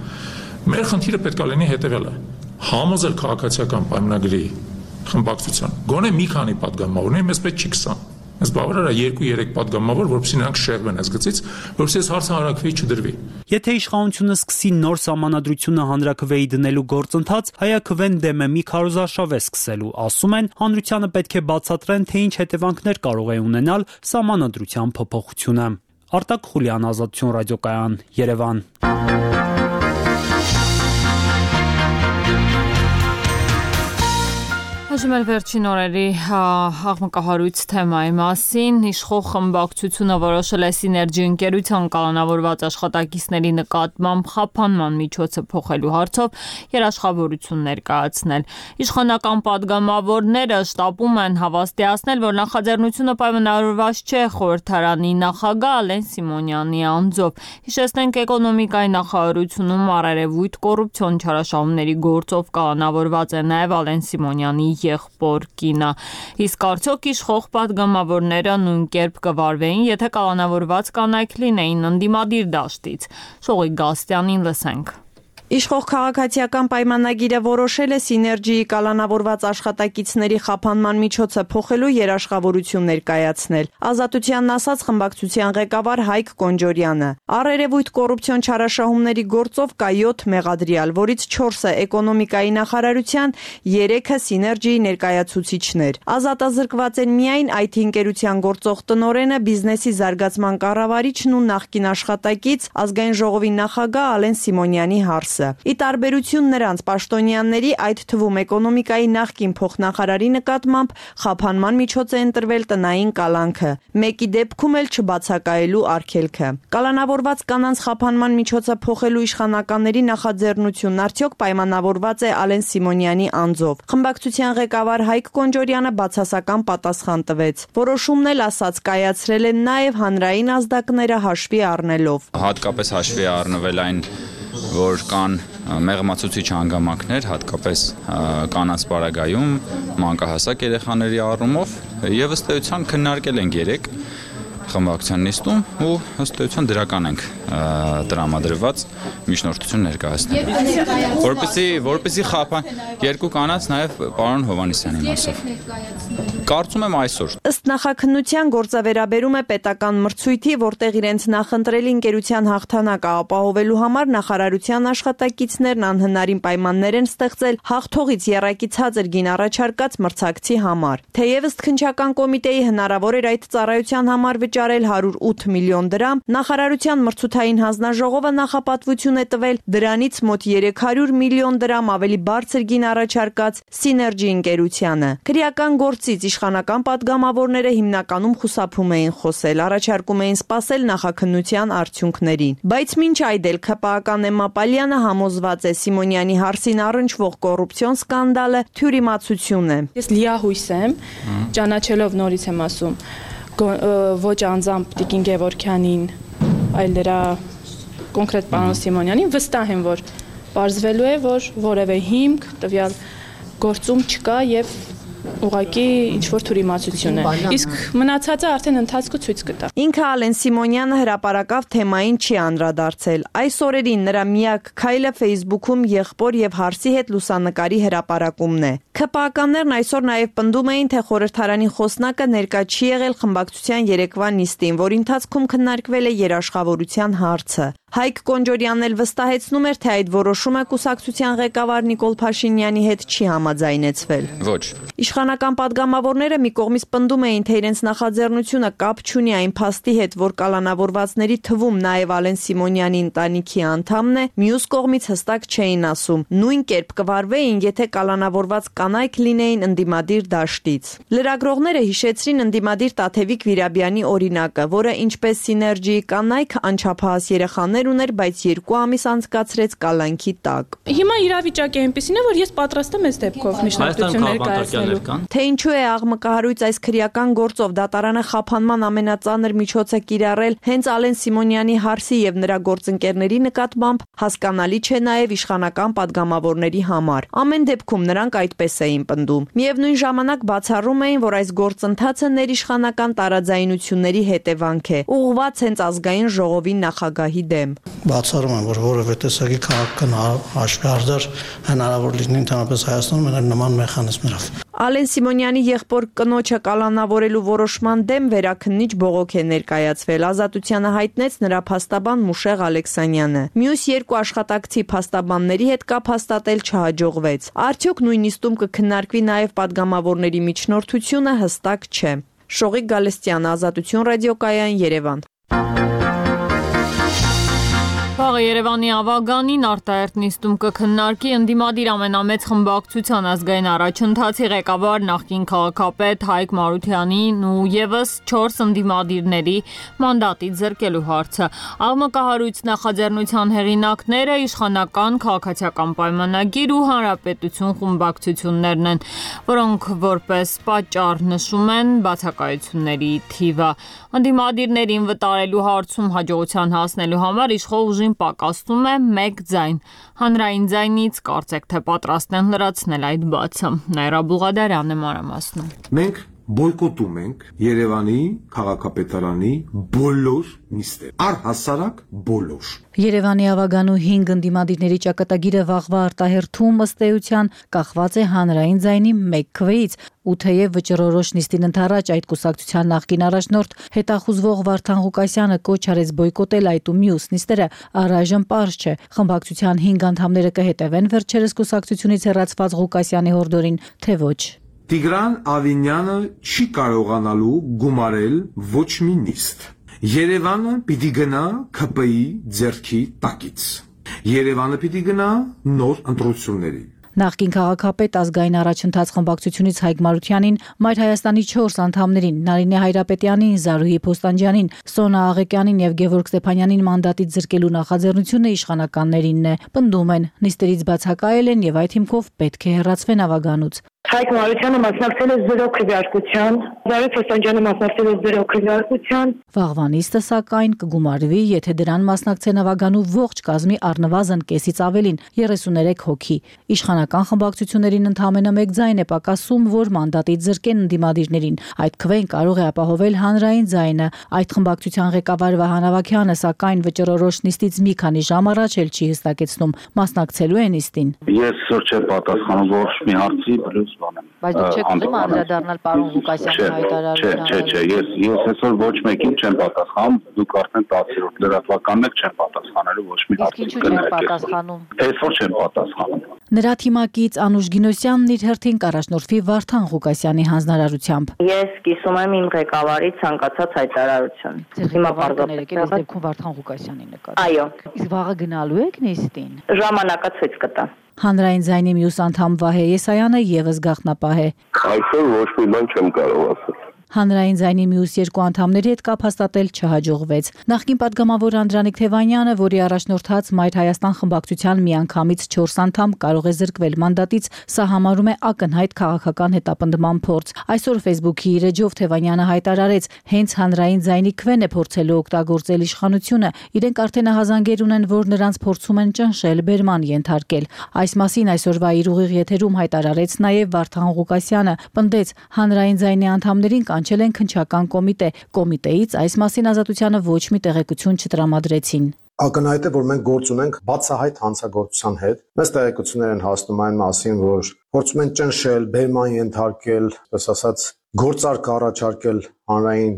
Մեր խնդիրը պետք է լինի հետևյալը. համոզել քաղաքացիական պայմանագրի խմբակցության գոնե մի քանի падգամավորներ, մեզ պետք չի 20։ Այս բավարար է 2-3 падգամավոր, որովհետեւ նրանք շեղվեն այս գծից, որովհետեւ այս հարցը հանրաքվեի չդրվի։ Եթե իշխանությունը սկսի նոր սահմանադրությունը հանրաքվեի դնելու գործընթաց, Հայաքվեն դեմ է մի քարոզարշավ է սկսելու, ասում են, հանրությանը պետք է բացատրեն, թե ինչ հետևանքներ կարող է ունենալ սահմանադրության փոփոխությունը։ Արտակ Խուլյան, Ազատություն ռադիոկայան, Երևան։ Հաջում էլ վերջին օրերի աղմկահարույց թեմայի մասին, իշխող խմբակցությունը որոշել է Սիներգի ընկերության կալանավորված աշխատակիցների նկատմամբ խափանման միջոցը փոխելու հարցով երաշխավորություն ներկայացնել։ Իշխանական падգամավորները շտապում են հավաստիացնել, որ նախաձեռնությունը պայմանավորված չէ խորհրդարանի նախագահ Ալեն Սիմոնյանի անձով։ Հիշեցնենք, էկոնոմիկայի նախարարությունում առերևույթ կոռուպցիոն չարաշահումների գործով կալանավորված է նաև Ալեն Սիմոնյանի եղբոր կինը։ Իսկ արդյոք իշխող падգամավորները նույն կերպ կվարվեին, եթե կալանավորված կանայք լինեին ընդդիմադիր դաշտից։ Շողիկ Գաստյանին լսենք։ Իշխող քաղաքացիական պայմանագիրը որոշել է Սիներգիի կալանավորված աշխատակիցների խափանման միջոցը փոխելու երաշխավորություն ներկայացնել։ Ազատությանն ասաց խմբակցության ղեկավար Հայկ Կոնջորյանը։ Առերևույթ կոռուպցիոն չարաշահումների գործով կա 7 մեղադրյալ, որից 4-ը էկոնոմիկայի նախարարության, 3-ը Սիներգիի ներկայացուցիչներ։ Ազատազրկված են միայն IT ընկերության գործող տնօրենը, բիզնեսի զարգացման կառավարիչն ու նախկին աշխատակից ազգային ժողովի նախագահ Ալեն Սիմոնյանի հարսը։ Ի տարբերություն նրանց պաշտոնյաների, այդ թվում էկոնոմիկայի նախկին փոխնախարարի նկատմամբ խափանման միջոց է ընտրվել տնային կալանքը, մեկի դեպքում էլ չբացակայելու արգելքը։ Կալանավորված կանանց խափանման միջոցը փոխելու իշխանականների նախաձեռնությունն արդյոք պայմանավորված է Ալեն Սիմոնյանի անձով։ Խմբակցության ղեկավար Հայկ Կոնջորյանը բացասական պատասխան տվեց։ Որոշումն էլ ասաց կայացրել են նաև հանրային ազդակները հաշվի առնելով։ Հատկապես հաշվի առնվել այն, որ կան մեղմացուցիչ հանգամանքներ, հատկապես կանանց պարագայում, մանկահասակ երեխաների առումով, եւ ըստ էության քննարկել ենք 3 խմբակցության նիստում ու ըստ էության դրական ենք տրամադրված միջնորդություն ներկայացնել։ Որպեսզի խափան երկու կանանց նաև պարոն Հովհաննիսյանի մասով։ Կարծում եմ այսօր։ Ըստ նախաքննության գործը վերաբերում է պետական մրցույթի, որտեղ իրենց նախընտրելի ընկերության հաղթանակը ապահովելու համար նախարարության աշխատակիցներն անհնարին պայմաններ են ստեղծել հաղթողից եռակի ցածր գին առաջարկած մրցակցի համար։ Թեև ըստ քննչական կոմիտեի հնարավոր էր այդ ծառայության համար վճարել 108 միլիոն դրամ, նախարարության մրցութային հանձնաժողովը նախապատվություն է տվել դրանից մոտ 300 միլիոն դրամ ավելի բարձր գին առաջարկած Սիներգի ընկերությանը։ Քրեական գործից իշխանական падգամավորները հիմնականում խուսափում էին խոսել, առաջարկում էին սպասել նախաքննության արդյունքներին։ Բայց մինչ այդ էլ ՔՊԱ-ական Էմմա Պալյանը համոզված է Սիմոնյանի հարսին առնչվող կոռուպցիոն սկանդալը թյուրիմացություն է։ Ես լիահույս եմ, ճանաչելով նորից եմ ասում, ոչ անձամբ Տիկին Գևորգյանին, այլ դրա կոնկրետ պարոն Սիմոնյանին, վստահ եմ, որ պարզվելու է, որ որևէ հիմք տվյալ գործում չկա եւ ուղղակի ինչ-որ թյուրիմացություն է։ Իսկ մնացածը արդեն ընթացքում ցույց կտա։ Ինքը Ալեն Սիմոնյանը հրապարակավ թեմային չի անդրադարձել։ Այս օրերին նրա միակ քայլը Facebook-ում եղբոր եւ հարսի հետ լուսանկարի հրապարակումն է։ ՔՊԱ-ականներն այսօր նաեւ պնդում էին, թե խորհրդարանի խոսնակը ներկա չի եղել խմբակցության երեկվա նիստին, որի ընթացքում քննարկվել է երաշխավորության հարցը։ Հայկ Կոնջորյանն էլ վստահեցնում էր, թե այդ որոշումը կուսակցության ղեկավար Նիկոլ Փաշինյանի հետ չի համաձայնեցվել։ Ոչ։ Իշխանական падգամավորները մի կողմից պնդում էին, թե իրենց նախաձեռնությունը կապ չունի այն փաստի հետ, որ կալանավորվածների թվում նաև Ալեն Սիմոնյանի ընտանիքի անդամն է, մյուս կողմից հստակ չէին ասում։ Նույն կերպ կվարվեին, եթե կալանավորված կանայք լինեին ընդդիմադիր դաշտից։ Լրագրողները հիշեցրին ընդդիմադիր Տաթևիկ Վիրաբյանի օրինակը, որը ինչպես Սիներգիի կանայք անչափահաս երեխաներ ուներ, բայց 2 ամիս անցկացրեց կալանքի տակ։ Հիմա իրավիճակը այնպեսին է, որ ես պատրաստ եմ այս դեպքով միջնորդություն ներկայացնելու։ Թե ինչու է աղմկահարույց այս քրեական գործով դատարանը խափանման ամենածանր միջոցը կիրառել հենց Ալեն Սիմոնյանի հարսի եւ նրա գործընկերների նկատմամբ, հասկանալի չէ նաեւ իշխանական падգամավորների համար։ Ամեն դեպքում նրանք այդպես էին պնդում։ Միևնույն ժամանակ բացառում էին, որ այս գործընթացը ներիշխանական տարաձայնությունների հետևանք է, ուղղված հենց ազգային ժողովի նախագահի դեմ։ Բացառում եմ, որ որևէ տեսակի քաղաքական հաշվարկներ հնարավոր լինի ընդհանրապես Հայաստանում նման մեխանիզմներով։ Ալեն Սիմոնյանի եղբոր կնոջը կալանավորելու որոշման դեմ վերաքննիչ բողոք է ներկայացվել։ Ազատությանը հայտնեց նրա փաստաբան Մուշեղ Ալեքսանյանը։ Մյուս 2 աշխատակցի փաստաբանների հետ կապ հաստատել չհաջողվեց։ Արդյոք նույն նիստում կքննարկվի նաև падգամավորների միջնորդությունը, հստակ չէ։ Շողիկ Գալստյան, Ազատություն ռադիոկայան, Երևան։ Վաղը Երևանի ավագանին արտահերթ նիստում կքննարկի ընդդիմադիր ամենամեծ խմբակցության ազգային առաջընթացի ղեկավար նախկին քաղաքապետ Հայկ Մարությանին ու եւս 4 ընդդիմադիրների մանդատից զրկելու հարցը։ Աղմկահարույց նախաձեռնության հեղինակները իշխանական քաղաքացիական պայմանագիր ու հանրապետություն խմբակցություններն են, որոնք որպես պատճառ նշում են բացակայությունների թիվը։ Ընդդիմադիրներին վտարելու հարցում հաջողության հասնելու համար իշխող ուժին պակասում է 1 ձայն։ Հանրային ձայնից կարծեք թե պատրաստ են լրացնել այդ բացը։ Նաիրա Բուղադարյանն է մանրամասնում։ Մենք բոյկոտում ենք Երևանի քաղաքապետարանի բոլոր նիստերը, առհասարակ բոլոր։ Երևանի ավագանու 5 ընդդիմադիրների ճակատագիրը վաղվա արտահերթում ըստ էության կախված է հանրային ձայնի 1 քվեից, ու թեև վճռորոշ նիստին ընդառաջ այդ կուսակցության նախկին առաջնորդ հետախուզվող Վարդան Ղուկասյանը կոչ արեց բոյկոտել այդ ու մյուս նիստերը, առայժմ պարզ չէ, խմբակցության 5 անդամները կհետևեն վերջերս կուսակցությունից հեռացված Ղուկասյանի հորդորին, թե ոչ։ Տիգրան Ավինյանը չի կարողանալու գումարել ոչ մի նիստ։ Երևանը պիտի գնա ԿՊ-ի ձեռքի տակից։ Երևանը պիտի գնա նոր ընտրությունների։ Նախկին քաղաքապետ ազգային առաջընթաց խմբակցությունից Հայկ Մարությանին, Մայր Հայաստանի 4 անդամներին, Նարինե Հայրապետյանին, Զարուհի Փոստանջյանին, Սոնա Աղեկյանին եւ Գևորգ Ստեփանյանին մանդատից զրկելու նախաձեռնությունը իշխանականներինն է։ Պնդում են, նիստերից բացակայել են եւ այդ հիմքով պետք է հեռացվեն ավագանուց։ Հայկ Մարությանը մասնակցել է 0 քվեարկության, Զարուհի Փոստանջյանը մասնակցել է 0 քվեարկության։ Վաղվա նիստը սակայն կգումարվի, եթե դրան մասնակցեն ավագանու ողջ կազմի առնվազն կեսից ավելին, 33 հոգի։ Իշխանական խմբակցություններին ընդամենը 1 ձայն է պակասում, որ մանդատից զրկեն ընդդիմադիրներին։ Այդ քվեն կարող է ապահովել հանրային ձայնը։ Այդ խմբակցության ղեկավար Վահան Ավագյանը սակայն վճռորոշ նիստից մի քանի ժամ առաջ էլ չի հստակեցնում մասնակցելու է նիստին։ Ես չեմ պատասխանում ոչ մի հարցի, Բայց դուք չեք ուզում անդրադառնալ պարոն Ղուկասյանի հայտարարությանը։ Չէ, ես այսօր ոչ մեկին չեմ պատասխանում, դուք արդեն 10-րդ լրատվականն եք, չեմ պատասխանելու ոչ մի հարցի։ Իսկ ինչու չեք պատասխանում։ Այսօր չեմ պատասխանում։ Նրա թիմակից Անուշ Գինոսյանն իր հերթին կառաջնորդվի Վարդան Ղուկասյանի հանձնարարությամբ։ Ես կիսում եմ իմ ղեկավարի ցանկացած հայտարարություն։ Հիմա պարզապես այս դեպքում Վարդան Ղուկասյանի նկատմամբ։ Այո։ Իսկ վաղը գնալու եք նիստին։ Ժամանակը ցույց կտա։ Հանրային ձայնի մյուս անդամ Վահե Եսայանը եւս գաղտնապահ է։ Այսօր ոչ մի բան չեմ կարող ասել։ Հանրային ձայնի մյուս երկու անդամների հետ կապ հաստատել չհաջողվեց։ Նախկին պատգամավոր Անդրանիկ Թևանյանը, որի առաջնորդած Մայր Հայաստան խմբակցության միանգամից 4 անդամ կարող է զրկվել մանդատից, սա համարում է ակնհայտ քաղաքական հետապնդման փորձ։ Այսօր Facebook-ի իր էջով Թևանյանը հայտարարեց, հենց հանրային ձայնի քվեն է փորձելու օգտագործել իշխանությունը, իրենք արդեն ահազանգեր ունեն, որ նրանց փորձում են ճնշել, բերման ենթարկել։ Այս մասին այսօրվա իր ուղիղ եթերում հայտարարեց նաև Վարդան Ղուկասյանը, պնդեց, հանրային ձայնի անդամներին կանչել են քննչական կոմիտե։ Կոմիտեից այս մասին Ազատությանը ոչ մի տեղեկություն չտրամադրեցին։ Ակնհայտ է, որ մենք գործ ունենք բացահայտ հանցագործության հետ։ Մեծ տեղեկություններ են հասնում այն մասին, որ փորձում են ճնշել, բերման ենթարկել, այսպես ասած, գործարք առաջարկել հանրային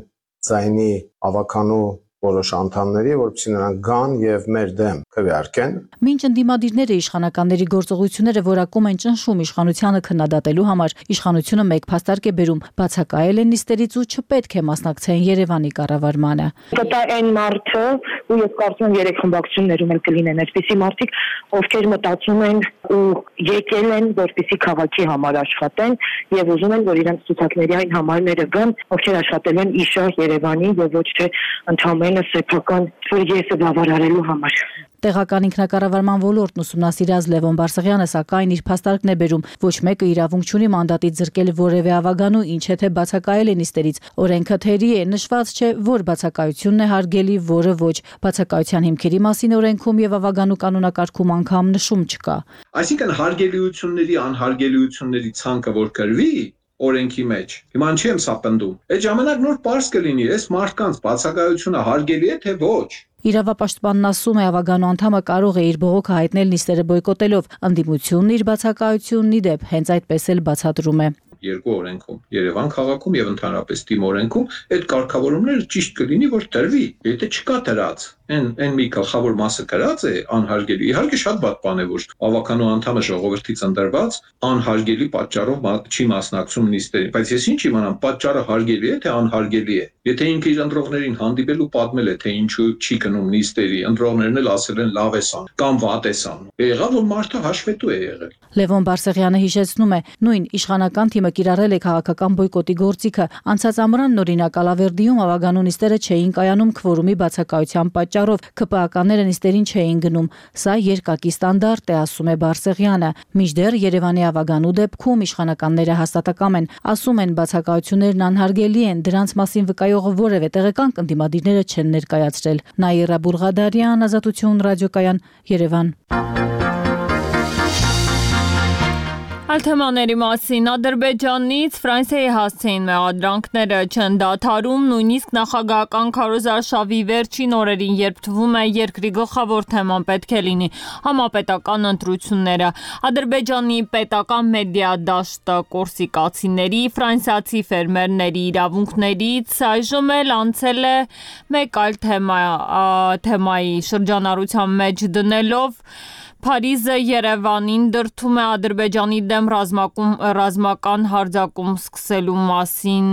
ձայնի ավականու որոշ անդամների, որպեսզի նրանք գան եւ մեր դեմ քվեարկեն։ Մինչ ընդդիմադիրները իշխանականների գործողությունները որակում են ճնշում իշխանությանը քննադատելու համար, իշխանությունը մեկ փաստարկ է բերում, բացակայել են նիստերից ու չպետք է մասնակցեն Երևանի կառավարմանը։ Դա այն մարդը, ու ես կարծում եմ երեք խմբակցություններում էլ կլինեն այսպիսի մարդիկ, ովքեր մտածում են ու եկել են, որպեսզի քաղաքի համար աշխատեն եւ ուզում են, որ իրենց ցուցակների այն համարները գան, ովքեր աշխատել են իշահ Երևանի եւ ոչ թե ընդհանրապես սեփական ֆորիեսը բավարարելու համար։ Տեղական ինքնակառավարման ոլորտն ուսումնասիրած Լևոն Բարսեղյանը սակայն իր փաստարկն է բերում, ոչ մեկը իրավունք չունի մանդատից զրկել որևէ ավագանու, ինչ թե բացակայել է նիստերից։ Օրենքը թերի է, նշված չէ, որ բացակայությունն է հարգելի, որը ոչ։ Բացակայության հիմքերի մասին օրենքում եւ ավագանու կանոնակարգում անգամ նշում չկա։ Այսինքն հարգելիությունների, անհարգելիությունների ցանկը որ կրվի օրենքի մեջ։ Հիմա ինչի եմ սա պնդում։ Այդ ժամանակ նոր պարզ կլինի, այս մարդկանց բացակայությունը հարգելի է թե ոչ։ Իրավապաշտպանն ասում է, ավագանու անդամը կարող է իր բողոքը հայտնել նիստերը բոյկոտելով, ընդդիմությունն իր բացակայությունն ի դեպ հենց այդպես էլ բացատրում է։ Երկու օրենքում, Երևան քաղաքում եւ ընդհանրապես թիմ օրենքում այդ կարգավորումները ճիշտ կլինի, որ տրվի։ Եթե չկա դրած, այն մի գլխավոր մասը գրած է անհարգելի։ Իհարկե շատ բաց բան է, որ ավականու անդամը ժողովրդից ընտրված անհարգելի պատճառով չի մասնակցում նիստերին, բայց ես ինչ իմանամ, պատճառը հարգելի է թե անհարգելի է։ Եթե ինքը իր ընտրողներին հանդիպել ու պատմել է, թե ինչու չի գնում նիստերի, ընտրողներն էլ ասել են լավ է անում կամ վատ է անում։ Եղավ որ մարդը հաշվետու է եղել։ Լևոն Բարսեղյանը հիշեցնում է, նույն իշխանական թիմը կիրառել է քաղաքական բոյկոտի գործիքը։ Անցած ամռան օրինակ Ալավերդիում ավագանու նիստերը չէին կայանում քվորումի բացակայության պատճառով, ԿՊԱ-ականները նիստերին չէին գնում։ Սա երկակի ստանդարտ է, ասում է Բարսեղյանը։ Մինչդեռ Երևանի ավագանու դեպքում իշխանականները հաստատակամ են, ասում են բացակայություններն անհարգելի են, դրանց մասին վկայող որևէ տեղեկանք ընդդիմադիրները չեն ներկայացրել։ Նաիրա Բուրղադարյան, Ազատություն ռադիոկայան, Երևան։ Այլ թեմաների մասին Ադրբեջանից Ֆրանսիայի հասցեին մեղադրանքները չեն դադարում, նույնիսկ նախագահական քարոզարշավի վերջին օրերին, երբ թվում է երկրի գլխավոր թեման պետք է լինի համապետական ընտրությունները։ Ադրբեջանի պետական մեդիա դաշտը կորսիկացիների, ֆրանսիացի ֆերմերների իրավունքներից այժմ էլ անցել է մեկ այլ թեմայի շրջանառության մեջ դնելով Փարիզը Երևանին դրդում է Ադրբեջանի դեմ ռազմական հարձակում սկսելու մասին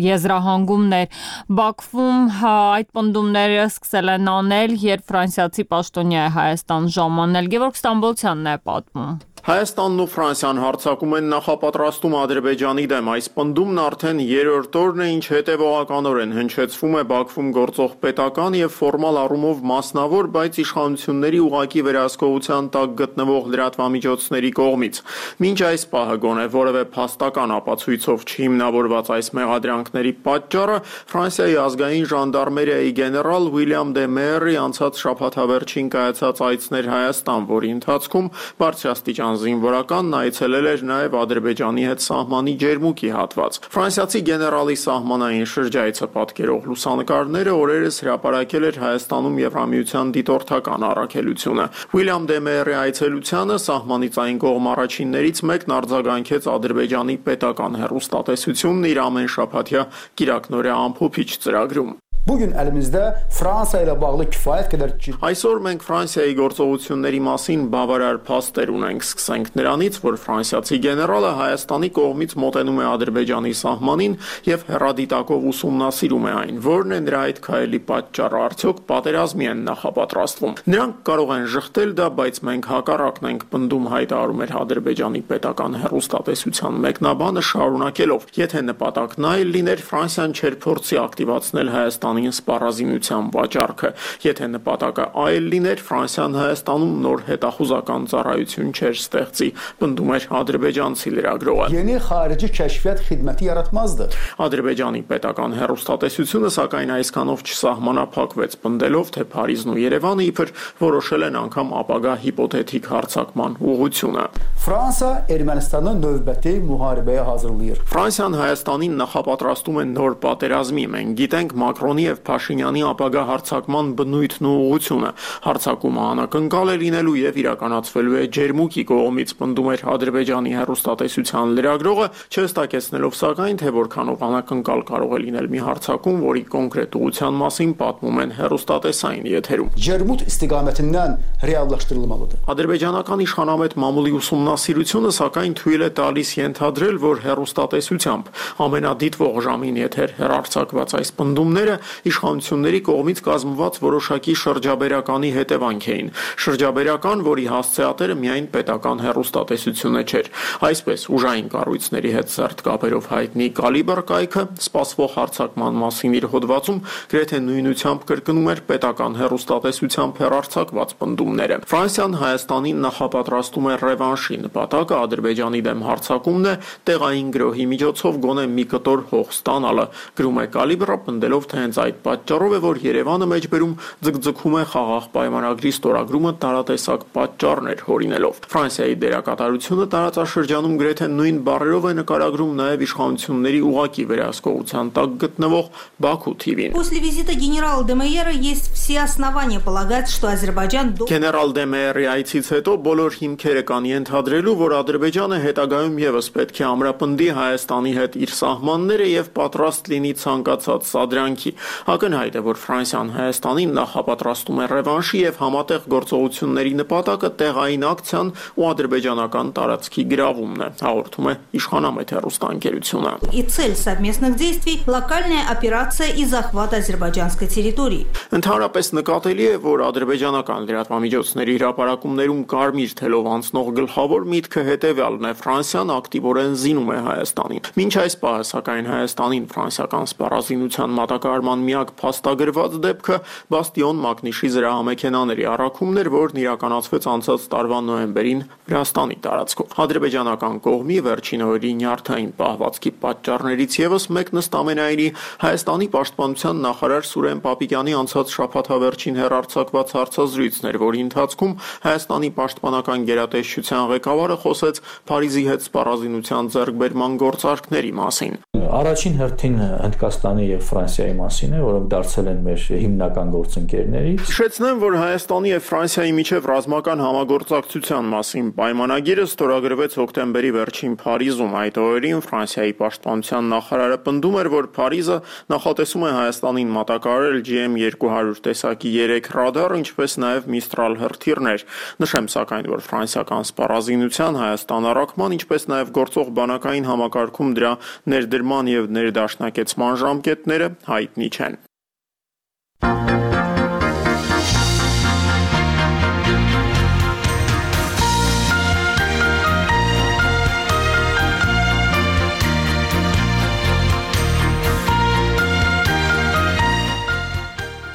եզրահանգումներ։ Բաքվում այդ պնդումները սկսել են անել, երբ ֆրանսիացի պաշտոնյա է Հայաստան ժամանել։ Գևորգ Ստամբոլցյանն է պատմում։ Հայաստանն ու Ֆրանսիան հարձակում են նախապատրաստում Ադրբեջանի դեմ։ Այս պնդումն արդեն երրորդ օրն է, ինչ հետևողականորեն հնչեցվում է Բաքվում գործող պետական եւ ֆորմալ առումով մասնավոր, բայց իշխանությունների ուղակի վերահսկողության տակ գտնվող լրատվամիջոցների կողմից։ Մինչ այս պահը գոնե որևէ փաստական ապացույցով չհիմնավորված այս մեղադրանքների պատճառը Ֆրանսիայի ազգային ժանդարմերիայի գեներալ Ուիլյամ դե Մերրի անցած շաբաթավերջին կայացած այցն էր Հայաստան, որի ընթացքում բարձրաստիճան զինվորականն այցելել էր նաև Ադրբեջանի հետ սահմանի ջերմուկի հատված։ Ֆրանսիացի գեներալի սահմանային շրջայցը պատկերող լուսանկարները օրերս հրապարակել էր Հայաստանում Եվրամիության դիտորդական առաքելությունը։ Ուիլյամ դե Մերրի այցելությանը սահմանից այն կողմ առաջիններից մեկն արձագանքեց Ադրբեջանի պետական հեռուստատեսությունն իր ամեն շաբաթյա կիրակնօրյա ամփոփիչ ծրագրում։ Bugün elimizde Fransa ile bağlı kifayet kadar Այսօր մենք Ֆրանսիայի գործողությունների մասին բավարար փաստեր ունենք, սկսենք նրանից, որ ֆրանսիացի գեներալը Հայաստանի կողմից մոտենում է Ադրբեջանի սահմանին եւ հեռադիտակով ուսումնասիրում է այն, որն է նրա այդ քայլի պատճառը, արդյոք պատերազմի են նախապատրաստվում։ Նրանք կարող են ժխտել դա, բայց մենք հակառակն ենք պնդում, հայտարարում էր Ադրբեջանի պետական հեռուստատեսության մեկնաբանը, շարունակելով. եթե նպատակն այլ լիներ, Ֆրանսիան չէր փորձի ակտիվացնել Հայաստանին սպառազինության վաճառքը, եթե նպատակը այլ լիներ, Ֆրանսիան Հայաստանում նոր հետախուզական ծառայություն չէր ստեղծի, պնդում էր ադրբեջանցի լրագրողը։ Yeni xarici kəşfiyyat xidməti yaratmazdı. Ադրբեջանի պետական հեռուստատեսությունը սակայն այսքանով չսահմանափակվեց, պնդելով, թե Փարիզն ու Երևանը իբր որոշել են անգամ ապագա հիպոթետիկ հարձակման ուղղությունը։ Fransa Ermənistanı növbəti müharibəyə hazırlayır. Ֆրանսիան Հայաստանին նախապատրաստում է նոր պատերազմի։ Մենք գիտենք Մակրոնի եւ Փաշինյանի ապագա հարձակման բնույթն ու ուղղությունը։ Հարձակումը անակնկալ է լինելու եւ իրականացվելու է Ջերմուկի կողմից, պնդում էր Ադրբեջանի հեռուստատեսության լրագրողը, չհստակեցնելով սակայն, թե որքանով անակնկալ կարող է լինել մի հարձակում, որի կոնկրետ ուղղության մասին պատմում են հեռուստատեսային եթերում։ Ջերմուտ istiqamətindən reallaşdırılmalıdır. Ադրբեջանական իշխանամետ մամուլի ուսումնասիրությունը սակայն թույլ է տալիս ենթադրել, որ հեռուստատեսությամբ ամենադիտվող ժամին եթեր հեռարձակված այս պնդումները իշխանությունների կողմից կազմված որոշակի շրջաբերականի հետևանք էին։ Շրջաբերական, որի հասցեատերը միայն պետական հեռուստատեսությունը չէր։ Այսպես ուժային կառույցների հետ սերտ կապերով հայտնի Կալիբր կայքը սպասվող հարձակման մասին իր հոդվածում գրեթե նույնությամբ կրկնում էր պետական հեռուստատեսությամբ հեռարձակված պնդումները։ Ֆրանսիան Հայաստանին նախապատրաստում է ռևանշի, նպատակը Ադրբեջանի դեմ հարձակումն է, տեղային գրոհի միջոցով գոնե մի կտոր հող ստանալը, գրում է Կալիբրը, պնդելով, թե հենց այդ պատճառով է, որ Երևանը մեջբերում ձգձգում է խաղաղ պայմանագրի ստորագրումը տարատեսակ պատճառներ հորինելով։ Ֆրանսիայի դերակատարությունը տարածաշրջանում գրեթե նույն բառերով է նկարագրում նաև իշխանությունների ուղակի վերահսկողության տակ գտնվող Բաքու TV-ին։ После визита генерала Демейера есть все основания полагать, что Азербайджан Գեներալ Դեմեյերի այցից հետո բոլոր հիմքերը կան ենթադրելու, որ Ադրբեջանը հետագայում եւս պետք է ամրապնդի Հայաստանի հետ իր սահմանները եւ պատրաստ լինի ցանկացած սադրանքի։ Ակնհայտ է, որ Ֆրանսիան Հայաստանին նախապատրաստում է ռևանշի եւ համատեղ գործողությունների նպատակը տեղային ակցիան ու ադրբեջանական տարածքի գրավումն է, հաղորդում է իշխանամետ հեռուստաընկերությունը։ И цель совместных действий – локальная операция и захват азербайджанской территории. Ընդհանրապես նկատելի է, որ ադրբեջանական լրատվամիջոցների հրապարակումներում կարմիր թելով անցնող գլխավոր միտքը հետևյալն է. Ֆրանսիան ակտիվորեն զինում է Հայաստանին։ Մինչ այս պահը, սակայն Հայաստանին ֆրանսիական սպառազինության մատակարարման միակ փաստագրված դեպքը Բաստիոն Մակնիշի զրահամեքենաների առաքումն էր, որն իրականացվեց անցած տարվա նոյեմբերին Վրաստանի տարածքով։ Ադրբեջանական կողմի վերջին օրերի նյարդային պահվածքի պատճառներից եւս մեկն ըստ ամենայնի Հայաստանի պաշտպանության նախարար Սուրեն Պապիկյանի անցած շաբաթավերջին հեռարձակված հարցազրույցն էր, որի ընթացքում Հայաստանի պաշտպանական գերատեսչության ղեկավարը խոսեց Փարիզի հետ սպառազինության ձեռքբերման գործարքների մասին։ Առաջին հերթին Հնդկաստանի եւ Ֆրանսիայի մասին է, որոնք դարձել են մեր հիմնական գործընկերներից։ Հիշեցնեմ, որ Հայաստանի եւ Ֆրանսիայի միջև ռազմական համագործակցության մասին պայմանագիրը ստորագրվեց հոկտեմբերի վերջին Փարիզում։ Այդ օրերին Ֆրանսիայի պաշտպանության նախարարը պնդում էր, որ Փարիզը նախատեսում է Հայաստանին մատակարարել GM200 տեսակի 3 ռադար, ինչպես նաեւ Միստրալ հրթիռներ։ Նշեմ սակայն, որ ֆրանսիական սպառազինության Հայաստան առաքման, ինչպես նաեւ գործող բանակային համակարգում դրա ներդրման եւ ներդաշնակեցման ժամկետները հայտնի չեն։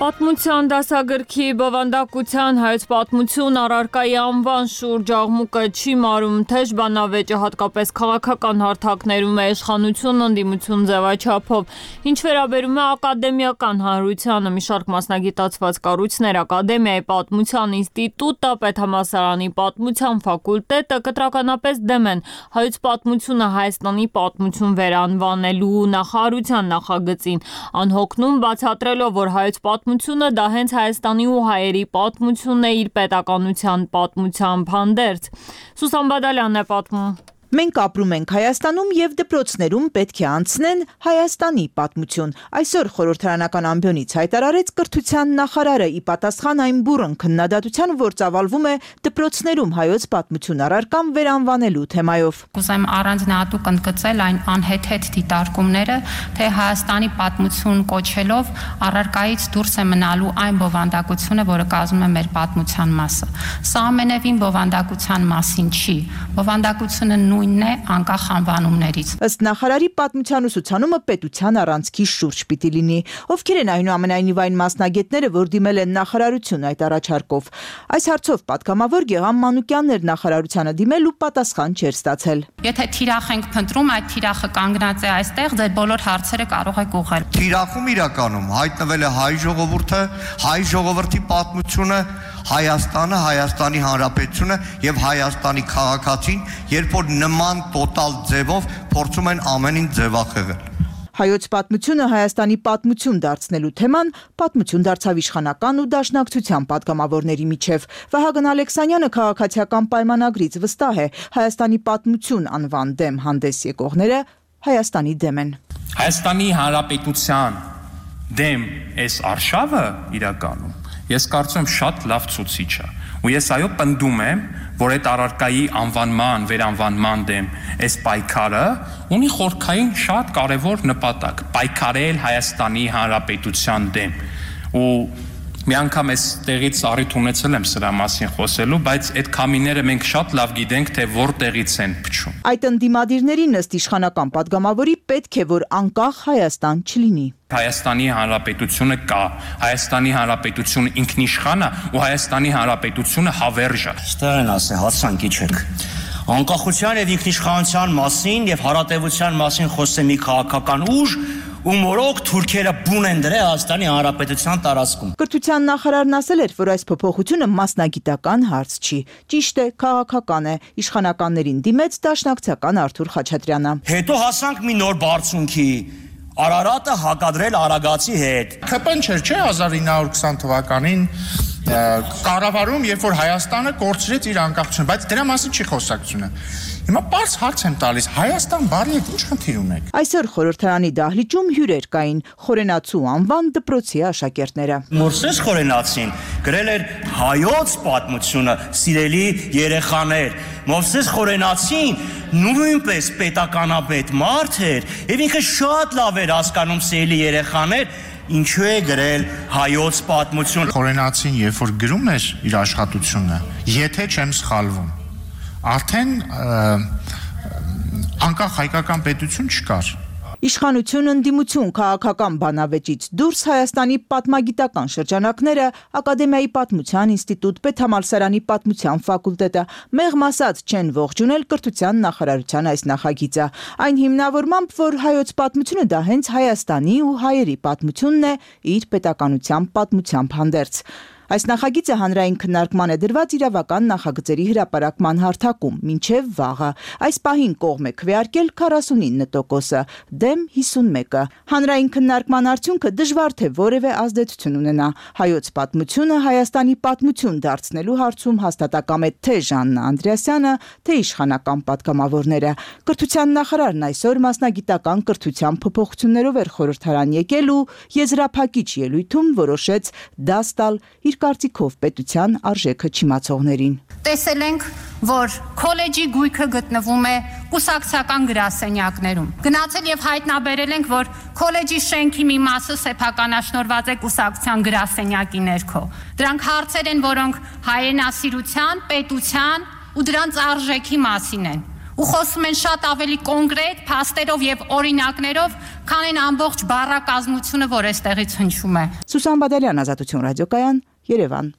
Պատմության դասագրքի բովանդակության հայոց պատմություն առարկայի անվան շուրջ աղմուկը չի մարում, թեժ բանավեճը հատկապես քաղաքական հարթակներում է իշխանություն ընդդիմություն ձևաչափով։ Ինչ վերաբերում է ակադեմիական հանրությանը, մի շարք մասնագիտացված կառույցներ, Ակադեմիայի պատմության ինստիտուտը, Պետհամալսարանի պատմության ֆակուլտետը կտրականապես դեմ են հայոց պատմությունը Հայաստանի պատմություն վերանվանելու նախարարության նախագծին, անհոգնում բացատրելով, որ հայոց պատմությունը դա հենց Հայաստանի ու հայերի պատմությունն է իր պետականության պատմությամբ հանդերձ։ Սուսան Բադալյանն է պատմում։ Մենք ապրում ենք Հայաստանում եւ դպրոցներում պետք է անցնեն Հայաստանի պատմություն։ Այսօր խորհրդարանական ամբիոնից հայտարարեց կրթության նախարարը ի պատասխան այն բուռն քննադատության, որ ծավալվում է դպրոցներում հայոց պատմություն առարկան վերանվանելու թեմայով։ Կուզեմ առանձնահատուկ ընդգծել այն անհեթեթ դիտարկումները, թե Հայաստանի պատմություն կոչելով առարկայից դուրս է մնալու այն բովանդակությունը, որը կազմում է մեր պատմության մասը։ Սա ամենևին բովանդակության մասին չի։ Բովանդակությունը նույնն է անկախ անվանումներից։ Ըստ նախարարի պատմության ուսուցանումը պետության առանցքի շուրջ պիտի լինի։ Ովքեր են այնուամենայնիվ այն մասնագետները, որ դիմել են նախարարություն այդ առաջարկով։ Այս հարցով պատգամավոր Գեգամ Մանուկյանն էր նախարարությանը դիմել ու պատասխան չէր ստացել։ Եթե թիրախ ենք փնտրում, այդ թիրախը կանգնած է այստեղ, ձեր բոլոր հարցերը կարող եք ուղղել։ Թիրախում իրականում հայտնվել է հայ ժողովուրդը, հայ ժողովրդի պատմությունը, Հայաստանը, Հայաստանի Հանրապետությունը եւ Հայաստանի քաղաքացին, երբ որ նման տոտալ ձևով փորձում են ամենին ձևախեղել։ Հայոց պատմությունը Հայաստանի պատմություն դարձնելու թեման պատմություն դարձավ իշխանական ու դաշնակցության պատգամավորների միջև։ Վահագն Ալեքսանյանը քաղաքացիական պայմանագրից վստահ է, Հայաստանի պատմություն անվան դեմ հանդես եկողները Հայաստանի դեմ են։ Հայաստանի Հանրապետության դեմ այս արշավը իրականում ես կարծում եմ շատ լավ ցուցիչ է։ Ու ես այո պնդում եմ, որ այդ առարկայի անվանման, վերանվանման դեմ այս պայքարը ունի խորքային շատ կարևոր նպատակ՝ պայքարել Հայաստանի Հանրապետության դեմ։ Ու մի անգամ այս տեղից առիթ ունեցել եմ սրա մասին խոսելու, բայց այդ քամիները մենք շատ լավ գիտենք, թե որտեղից են փչում։ Այդ ընդդիմադիրներին ըստ իշխանական պատգամավորի պետք է, որ անկախ Հայաստան չլինի։ Հայաստանի Հանրապետությունը կա, Հայաստանի Հանրապետությունը ինքնիշխան է ու Հայաստանի Հանրապետությունը հավերժ է։ Ստեղ են ասել, հացանքի չեք։ Անկախության եւ ինքնիշխանության մասին եւ հարատեվության մասին խոսե մի քաղաքական ուժ ու մորոք թուրքերը բուն են դրել Հայաստանի Հանրապետության տարածքում։ Կրթության նախարարն ասել էր, որ այս փոփոխությունը մասնագիտական հարց չի, ճիշտ է, քաղաքական է, իշխանականներին դիմեց դաշնակցական Արթուր Խաչատրյանը։ Հետո հասանք մի նոր բարձունքի, Արարատը հակադրել Արագացի հետ։ ՔՊ-ն չէ 1920 թվականին կառավարում, երբ որ Հայաստանը կորցրեց իր անկախությունը, բայց դրա մասին չի խոսակցությունը։ Հիմա բարձ հարց եմ տալիս, Հայաստան բարի է, ինչ խնդիր ունեք։ Այսօր խորհրդարանի դահլիճում հյուրեր կային, Խորենացու անվան դպրոցի աշակերտները։ Մովսես Խորենացին գրել էր հայոց պատմությունը, սիրելի երեխաներ։ Մովսես Խորենացին նույնպես պետականապետ մարդ էր, եւ ինքը շատ լավ էր հասկանում, սիրելի երեխաներ, ինչու է գրել հայոց պատմություն։ Խորենացին երբ որ գրում էր իր աշխատությունը, եթե չեմ սխալվում, արդեն անկախ հայկական պետություն չկար։ Իշխանություն, ընդդիմություն, քաղաքական բանավեճից դուրս Հայաստանի պատմագիտական շրջանակները, Ակադեմիայի պատմության ինստիտուտ, Պետհամալսարանի պատմության ֆակուլտետը մեղմ ասած չեն ողջունել կրթության նախարարության այս նախագիծը։ Այն հիմնավորմամբ, որ հայոց պատմությունը դա հենց Հայաստանի ու հայերի պատմությունն է իր պետականության պատմությամբ հանդերձ։ Այս նախագիծը հանրային քննարկման է դրված իրավական նախագծերի հրապարակման հարթակում, մինչև վաղը։ Այս պահին կողմ է քվեարկել 49%-ը, դեմ 51-ը։ Հանրային քննարկման արդյունքը դժվար թե որևէ ազդեցություն ունենա։ Հայոց պատմությունը Հայաստանի պատմություն դարձնելու հարցում հաստատակամ է թե Ժաննա Անդրեասյանը, թե իշխանական պատգամավորները։ Կրթության նախարարն այսօր մասնագիտական կրթության փոփոխություններով էր խորհրդարան եկել ու եզրափակիչ ելույթում որոշեց դաս տալ իր կարծիքով պետության արժեքը չիմացողներին։ Տեսել ենք, որ քոլեջի գույքը գտնվում է կուսակցական գրասենյակներում։ Գնացել եւ հայտնաբերել ենք, որ քոլեջի շենքի մի մասը սեփականաշնորհված է կուսակցության գրասենյակի ներքո։ Դրանք հարցեր են, որոնք հայրենասիրության, պետության ու դրանց արժեքի մասին են։ Ու խոսում են շատ ավելի կոնկրետ փաստերով եւ օրինակներով, քան այն ամբողջ բառակազմությունը, որ այստեղից հնչում է։ Սուսան Բադալյան, Ազատություն ռադիոկայան, Երևան։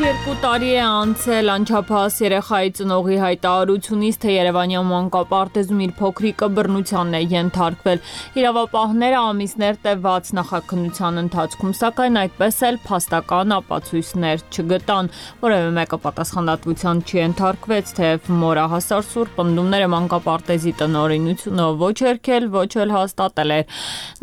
2 տարի է անցել անչափահաս երեխայի ծնողի հայտարարությունից, թե Երևանյան մանկապարտեզում իր փոքրիկը բռնությանն է ենթարկվել։ Իրավապահները ամիսներ տևած նախաքննության ընթացքում, սակայն այդպես էլ փաստական ապացույցներ չգտան։ Որևէ մեկը պատասխանատվության չենթարկվեց, թեև մորահասար սուր պնդումները մանկապարտեզի տնօրինությունը ոչ հերքել, ոչ էլ հաստատել էր։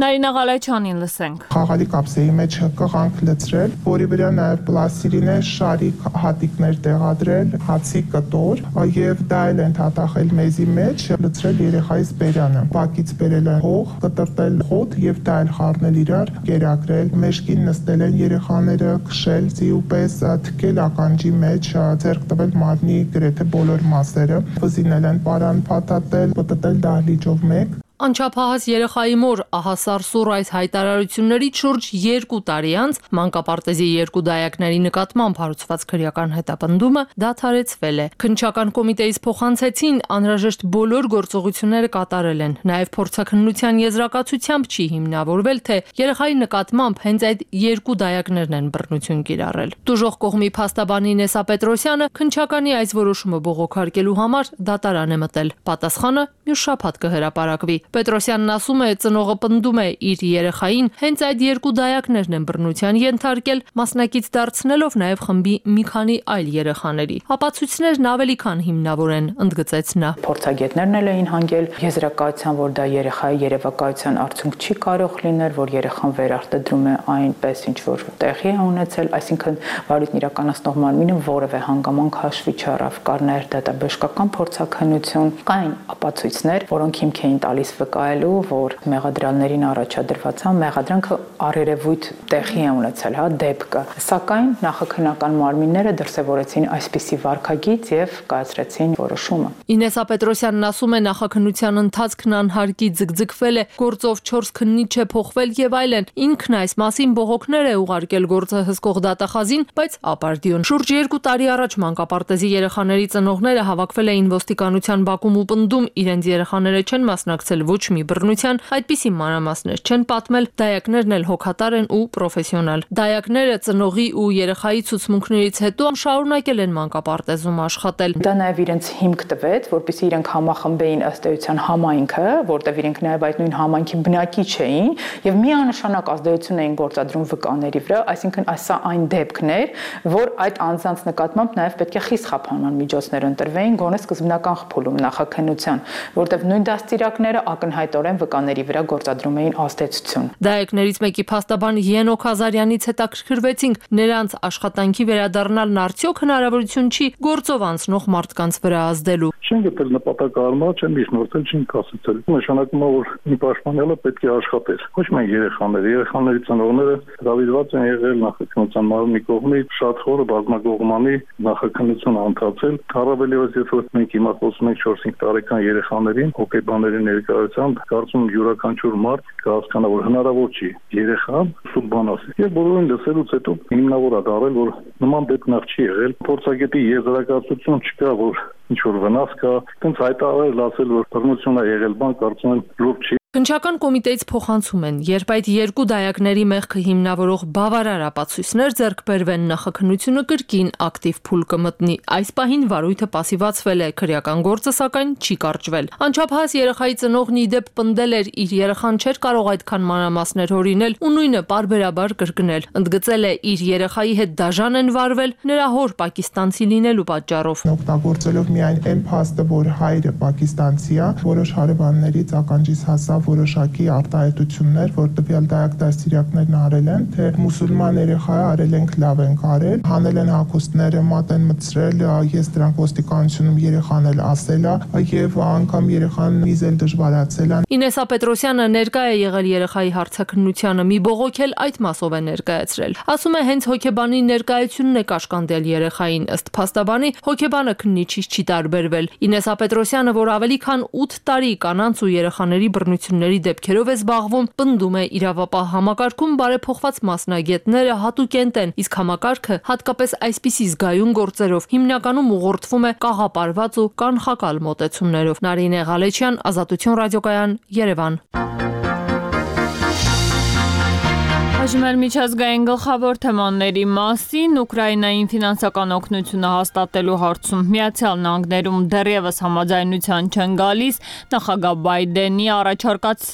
Նարինե Ղալեչյանին լսենք։ Խաղալի կապսեի մեջ կղանք լցրել, որի վրա նաև պլաստիրինե շարիկ հատիկներ տեղադրել, հացի կտոր եւ դա էլ ընդհատախել մեզի մեջ, լցրել երեխայից բերանը, բակից բերել են հող, կտրտել հոտ եւ դա էլ խառնել իրար, կերակրել, մեջքին նստել են երեխաները, քշել ձիուպես, թքել ականջի մեջ, ձեռք տվել մարմնի գրեթե բոլոր մասերը, վզինել են պարան փաթաթել, պտտել դահլիճով մեկ։ Անչափահաս երեխայի մոր ահասար սուր այս հայտարարություններից շուրջ 2 տարի անց մանկապարտեզի 2 դայակների նկատմամբ հարուցված քրեական հետապնդումը դադարեցվել է։ Քննչական կոմիտեից փոխանցեցին անհրաժեշտ բոլոր գործողությունները կատարել են։ Նաև փորձաքննության եզրակացությամբ չի հիմնավորվել, թե երեխայի նկատմամբ հենց այդ 2 դայակներն են բռնություն կիրառել։ Դժոխ կողմի փաստաբան Ինեսա Պետրոսյանը քննչականի այս որոշումը բողոքարկելու համար դատարան է մտել։ Պատասխանը մյուս շաբաթ կհրապարակվի։ Պետրոսյանն ասում է, ծնողը պնդում է իր երեխային հենց այդ 2 դայակներն են բռնության ենթարկել, մասնակից դարձնելով նաև խմբի մի քանի այլ երեխաների։ Ապացույցներն ավելի քան հիմնավոր են, ընդգծեց նա։ Փորձագետներն էլ էին հանգել եզրակացության, որ դա երեխայի երևակայության արդյունք չի կարող լինել, որ երեխան վերարտադրում է այնպես, ինչ որ տեղի է ունեցել, այսինքն վարույթն իրականացնող մարմինը որևէ հանգամանք հաշվի չառավ, կար նաև դատաբժշկական փորձաքննություն, կային ապացույցներ, որոնք հիմք էին տալիս վկայելու, որ մեղադրյալներին առաջադրված մեղադրանքը առերևույթ տեղի է ունեցել, դեպքը, սակայն նախաքննական մարմինները դրսևորեցին այսպիսի վարքագիծ եւ կայացրեցին որոշումը։ Ինեսա Պետրոսյանն ասում է, նախաքննության ընթացքն անհարկի ձգձգվել է, գործով 4 քննիչ է փոխվել եւ այլն։ Ինքն այս մասին բողոքներ է ուղարկել գործը հսկող դատախազին, բայց ապարդյուն։ Շուրջ 2 տարի առաջ մանկապարտեզի երեխաների ծնողները հավաքվել էին ոստիկանության բակում ու պնդում, իրենց երեխաները չեն մասնակցել ոչ մի բռնության, այդպիսի մանրամասներ չեն պատմել, դայակներն էլ հոգատար են ու պրոֆեսիոնալ։ Դայակները ծնողի ու երեխայի ցուցմունքներից հետո շարունակել են մանկապարտեզում աշխատել։ Դա նաև իրենց հիմք տվեց, որպեսզի իրենք համախմբեին ըստ էության համայնքը, որտեղ իրենք նաև այդ նույն համայնքի բնակիչ էին եւ միանշանակ ազդեցություն էին գործադրում վկաների վրա, այսինքն սա այն դեպքն էր, որ այդ անձանց նկատմամբ նաև պետք է խիստ խափանման միջոցներ ընտրվեին, գոնե սկզբնական խփուլում նախաքննության, որտեղ նույն դաստիարակները ակնհայտորեն վկաների վրա գործադրում էին ազդեցություն։ Դայակներից մեկի փաստաբան Ենոք Ազարյանից հետաքրքրվեցինք, նրանց աշխատանքի վերադառնալն արդյոք հնարավորություն չի գործով անցնող մարդկանց վրա ազդելու։ Չեն գտել նպատակարարմա, չեն միջնորդել, չեն կասեցել։ Նշանակում է, որ մի պաշտպանյալը պետք է աշխատեր։ Ոչ միայն երեխաների ծնողները հրավիրված են եղել նախաքննության մարմնի կողմից, շատ խորը բազմակողմանի նախաքննություն անցացել։ Առավել ևս, երբ որ մենք հիմա խոսում ենք 4-5 տարեկան երեխաներին, հոգեբանների ներկայությամբ, կարծում եմ յուրաքանչյուր մարդ կհասկանա, որ հնարավոր չի երեխան սուտ բան ասել։ Եվ բոլորին լսելուց հետո հիմնավոր է դարել, որ նման դեպք նախ չի եղել։ Փորձագետի եզրակացություն չկա, որ ինչ որ վնաս կա, տենց հայտարարել ասել, որ բռնություն է եղել, բան կարծում եմ լուրջ չի։ Քննչական կոմիտեից փոխանցում են, երբ այդ 2 դայակների մեղքը հիմնավորող բավարար ապացույցներ ձեռք բերվեն, նախաքննությունը կրկին ակտիվ փուլ կմտնի։ Այս պահին վարույթը պասիվացվել է, քրեական գործը սակայն չի կարճվել։ Անչափահաս երեխայի ծնողն ի դեպ պնդել էր, իր երեխան չէր կարող այդքան մանրամասներ հորինել ու նույնը պարբերաբար կրկնել։ Ընդգծել է, իր երեխայի հետ դաժան են վարվել նրա հոր պակիստանցի լինելու պատճառով։ Օգտագործելով միայն այն փաստը, որ հայրը պակիստանցի է, որոշ հարևաններից ականջիս հասավ որոշակի արտահայտություններ, որ տվյալ դայակ դաստիարակներն արել են, թե մուսուլման երեխա արել ենք, լավ ենք արել, հանել են հագուստները, մատ են մտցրել, ես դրանք ոստիկանությունում երեխան էլ ասել է եւ անգամ երեխան միզել դժվարացել է։ Ինեսա Պետրոսյանը ներկա է եղել երեխայի հարցաքննությանը, մի բողոք էլ այդ մասով է ներկայացրել։ Ասում է, հենց հոգեբանի ներկայությունն է կաշկանդել երեխային, ըստ փաստաբանի հոգեբանը քննիչից չի տարբերվել։ Ինեսա Պետրոսյանը, որ ավելի քան 8 տարի կանանց ու երեխաների բռնությունների դեպքերով է զբաղվում, պնդում է, իրավապահ համակարգում բարեփոխված մասնագետները հատուկենտ են, իսկ համակարգը հատկապես այսպիսի զգայուն գործերով հիմնականում ուղղորդվում է կաղապարված ու կանխակալ մոտեցումներով։ Նարինե Ղալեչյան, Ազատություն ռադիոկայան, Երևան։ Այժմ էլ միջազգային գլխավոր թեմաների մասին Ուկրաինային ֆինանսական օգնությունը հաստատելու հարցում Միացյալ Նահանգներում դեռևս համաձայնության չեն գալիս, նախագահ Բայդենի առաջարկած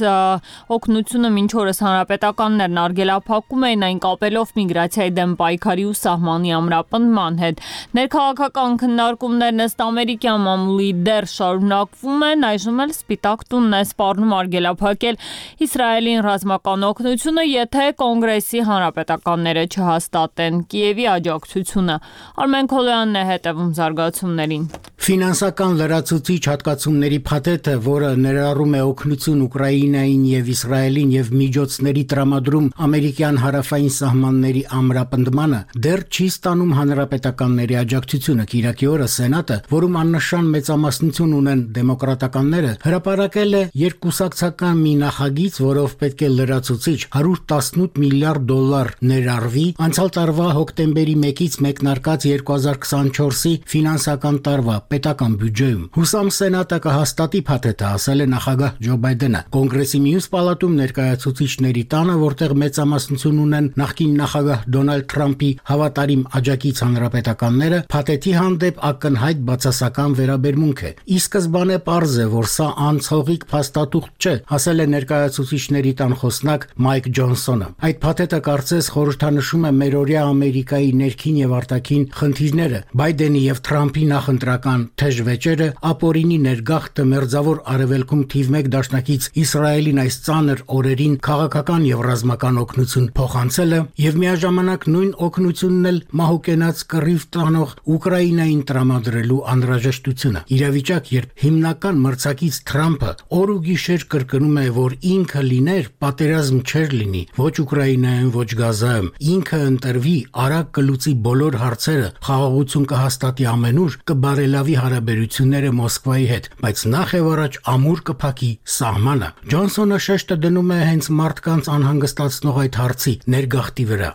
օգնությունը մինչ օրս հանրապետականներն արգելափակում էին, այն կապելով միգրացիայի դեմ պայքարի ու սահմանի ամրապնդման հետ։ Ներքաղաքական քննարկումներն ըստ ամերիկյան մամուլի դեռ շարունակվում են, այժմ էլ Սպիտակ տունն է սպառնում արգելափակել Իսրայելին ռազմական օգնությունը, եթե Կոնգրեսի հանրապետականները չհաստատեն Կիևի աջակցությունը։ Արմեն Քոլոյանն է հետևում զարգացումներին։ Ֆինանսական լրացուցիչ հատկացումների փաթեթը, որը ներառում է օգնություն Ուկրաինային եւ Իսրայելին եւ միջոցների տրամադրում ամերիկյան հարավային սահմանների ամրապնդմանը, դեռ չի ստանում հանրապետականների աջակցությունը։ Կիրակի օրը Սենատը, որում աննշան մեծամասնություն ունեն դեմոկրատականները, հրապարակել է երկկուսակցական մի նախագիծ, որով պետք է լրացուցիչ 118 միլիարդ դոլար ներառվի անցյալ տարվա հոկտեմբերի 1-ից մեկնարկած 2024-ի ֆինանսական տարվա պետական բյուջեում։ Հուսամ Սենատը կհաստատի փաթեթը, ասել է նախագահ Ջո Բայդենը։ Կոնգրեսի մյուս պալատում ներկայացուցիչների տանը, որտեղ մեծամասնություն ունեն նախկին նախագահ Դոնալդ Թրամփի հավատարիմ աջակից հանրապետականները, փաթեթի հանդեպ ակնհայտ բացասական վերաբերմունք է։ Ի սկզբանե պարզ է, որ սա անցողիկ փաստաթուղթ չէ, ասել է ներկայացուցիչների տան խոսնակ Մայք Ջոնսոնը։ Այդ փաթեթը կարծես խորհրդանշում է մերօրյա Ամերիկայի ներքին եւ արտաքին խնդիրները, Բայդենի եւ Թրամփի նախընտրական թեժ վեճերը, ապօրինի ներգաղթը, մերձավոր արևելքում թիվ 1 դաշնակից Իսրայելին այս ծանր օրերին քաղաքական եւ ռազմական օգնություն փոխանցելը եւ միաժամանակ նույն օգնությունն էլ մահուկենաց կռիվ տանող Ուկրաինային տրամադրելու անհրաժեշտությունը։ Իրավիճակ, երբ հիմնական մրցակից Թրամփը օր ու գիշեր կրկնում է, որ ինքը լիներ, պատերազմ չէր լինի, ոչ Ուկրաինայում, ոչ Գազայում, ինքը ընտրվի, արագ կլուծի բոլոր հարցերը, խաղաղություն կհաստատի ամենուր, կբարելավի հարաբերությունները Մոսկվայի հետ, բայց նախ եւ առաջ ամուր կփակի սահմանը։ Ջոնսոնը շեշտը դնում է հենց մարդկանց անհանգստացնող այդ հարցի ներգաղթի վրա։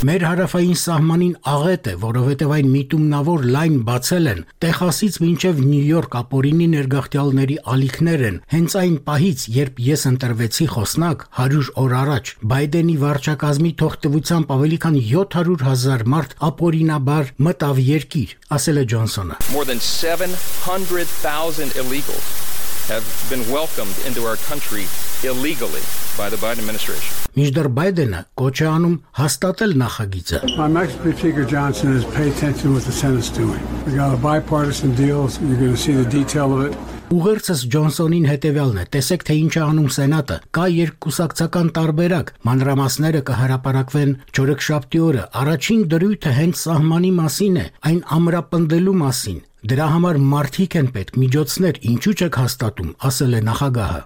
Մեր հարավային սահմանին աղետ է, որովհետև այն միտումնավոր լայն բացել են, Տեխասից մինչև Նյու Յորք ապօրինի ներգաղթյալների ալիքներ են։ Հենց այն պահից, երբ ես ընտրվեցի խոսնակ 100 օր առաջ, Բայդենի վարչակազմի թողտվությամբ ավելի քան 700,000 մարդ ապօրինաբար մտավ երկիր, ասել է Ջոնսոնը։ More than 700,000 illegals have been welcomed into our country illegally by the Biden administration. Մինչդեռ Բայդենը կոչ է անում հաստատել նախագիծը։ My Mexican Speaker Johnson is pay attention to what the Senate's doing. We got a bipartisan deal, so you're going to see the detail of it. Ուղերձս Ջոնսոնին հետևյալն է. տեսեք, թե ինչ է անում Սենատը։ Կա երկկուսակցական տարբերակ։ Մանրամասները կհրապարակվեն չորեքշաբթի օրը։ Առաջին դրույթը հենց սահմանի մասին է, այն ամրապնդելու մասին։ Դրա համար մարդիկ են պետք, միջոցներ, ինչու չեք հաստատում, ասել է նախագահը։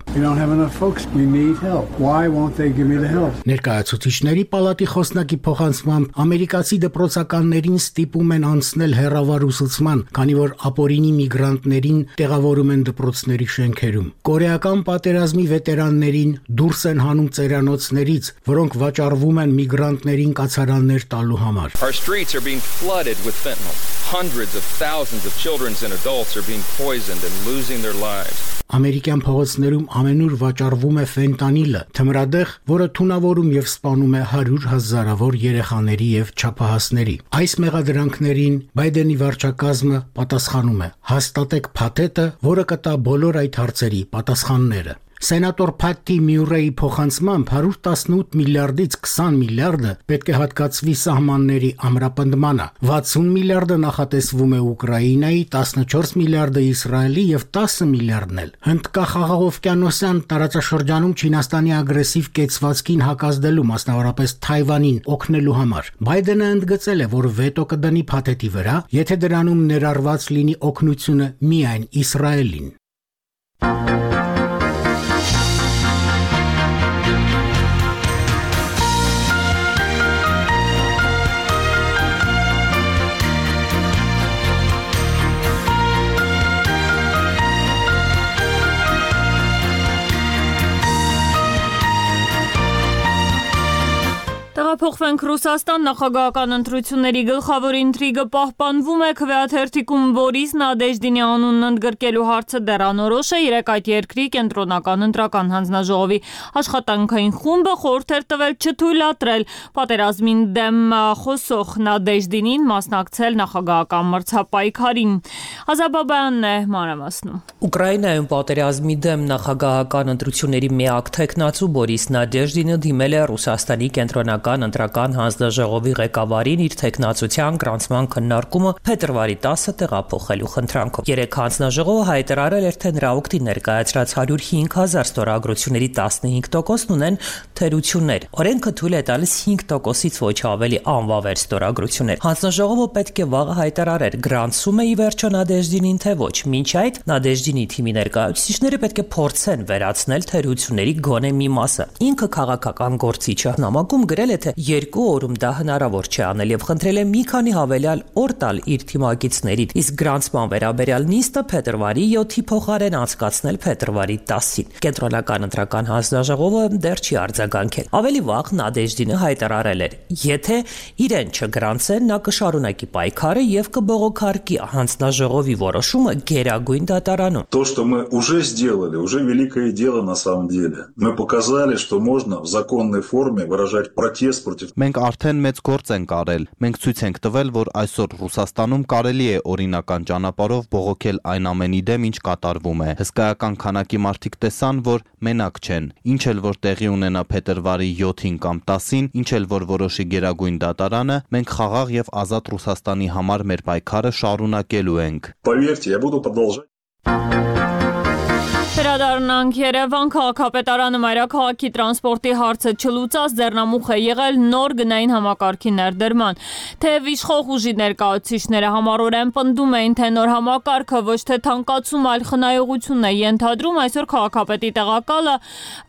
Ներկայացուցիչների պալատի խոսնակի փոխանցմամբ ամերիկացի դպրոցականներին ստիպում են անցնել հեռավար ուսուցման, քանի որ ապօրինի միգրանտներին տեղավորում են դպրոցների շենքերում։ Կորեական պատերազմի վետերաններին դուրս են հանում ծերանոցներից, որոնք վաճառվում են միգրանտներին կացարաններ տալու համար։ Our streets are being flooded with fentanyl. Hundreds of thousands of children and adults are being poisoned and losing their lives. Ամերիկյան փողոցներում ամենուր վաճառվում է ֆենտանիլը, թմրադեղ, որը թունավորում եւ սպանում է 100,000-ավոր երեխաների եւ չափահասների։ Այս մեղադրանքներին Բայդենի վարչակազմը պատասխանում է. հաստատեք փաթեթը, որը կտա բոլոր այդ հարցերի պատասխանները։ Սենատոր Փաթի Մյուրեի փոխանցմամբ 118 միլիարդից 20 միլիարդը պետք է հատկացվի սահմանների ամրապնդմանը, 60 միլիարդը նախատեսվում է Ուկրաինայի, 14 միլիարդը Իսրայելի եւ 10 միլիարդն էլ Հնդկախաղաղօվկիանոսյան տարածաշրջանում Չինաստանի ագրեսիվ կեցվածքին հակազդելու, մասնավորապես Թայվանին օգնելու համար։ Բայդենը ընդգծել է, որ վետո կդնի փաթեթի վրա, եթե դրանում ներառված լինի օգնությունը միայն Իսրայելին։ Տեղափոխվենք Ռուսաստան, նախագահական ընտրությունների գլխավոր ինտրիգը պահպանվում է, քվեաթերթիկում Բորիս Նադեժդինի անունն ընդգրկելու հարցը դեռանորոշ է, երեկ այդ երկրի կենտրոնական ընտրական հանձնաժողովի աշխատանքային խումբը խորհուրդ էր տվել չթույլատրել պատերազմին դեմ խոսող Նադեժդինին մասնակցել նախագահական մրցապայքարին։ Ազաբաբյանն է մանրամասնում։ Ուկրաինայում պատերազմի դեմ նախագահական ընտրությունների միակ թեկնածու Բորիս Նադեժդինը դիմել է Ռուսաստանի կենտրոնական ընտրական հանձնաժողովի ղեկավարին իր թեկնածության գրանցման քննարկումը փետրվարի 10-ը տեղափոխելու խնդրանքով։ Երեկ հանձնաժողովը հայտարարել էր, թե նրա օգտին ներկայացրած 105,000 ստորագրությունների 15%-ն ունեն թերություններ։ Օրենքը թույլ է տալիս 5%-ից ոչ ավելի անվավեր ստորագրություններ։ Հանձնաժողովը պետք է վաղը հայտարարեր, գրանցում է ի վերջո Նադեժդինին, թե ոչ։ Մինչ այդ Նադեժդինի թիմի ներկայացուցիչները պետք է փորձեն վերացնել թերությունների գոնե մի մասը։ Ինքը քաղաքական գործիչը նամակում գրել է, թե 2 օրում դա հնարավոր չէ անել եւ խնդրել է մի քանի հավելյալ օր տալ իր թիմակիցներին, իսկ գրանցման վերաբերյալ նիստը փետրվարի 7-ի փոխարեն անցկացնել փետրվարի 10-ին։ Կենտրոնական ընտրական հանձնաժողովը դեռ չի արձագանքել։ Ավելի վաղ Նադեժդինը հայտարարել էր, եթե իրեն չգրանցեն, նա կշարունակի պայքարը եւ կբողոքարկի հանձնաժողովի որոշումը Գերագույն դատարանում։ То, что мы уже сделали, уже великое дело на самом деле. Мы показали, что можно в законной форме выражать протест против. Մենք արդեն մեծ գործ ենք արել։ Մենք ցույց ենք տվել, որ այսօր Ռուսաստանում կարելի է օրինական ճանապարհով բողոքել այն ամենի դեմ, ինչ կատարվում է։ Հսկայական քանակի մարդիկ տեսան, որ մենակ չեն։ Ինչ էլ որ տեղի ունենա փետրվարի 7-ին կամ 10-ին, ինչ էլ որ որոշի Գերագույն դատարանը, մենք խաղաղ եւ ազատ Ռուսաստանի համար մեր պայքարը շարունակելու ենք։ Поверьте, я буду продолжать. Վերադառնանք Երևան, քաղաքապետարանը մայրաքաղաքի տրանսպորտի հարցը չլուծած ձեռնամուխ է եղել նոր գնային համակարգի ներդրման։ Թեև իշխող ուժի ներկայացուցիչները համառորեն պնդում էին, թե նոր համակարգը ոչ թե թանկացում, այլ խնայողություն է ենթադրում, այսօր քաղաքապետի տեղակալը,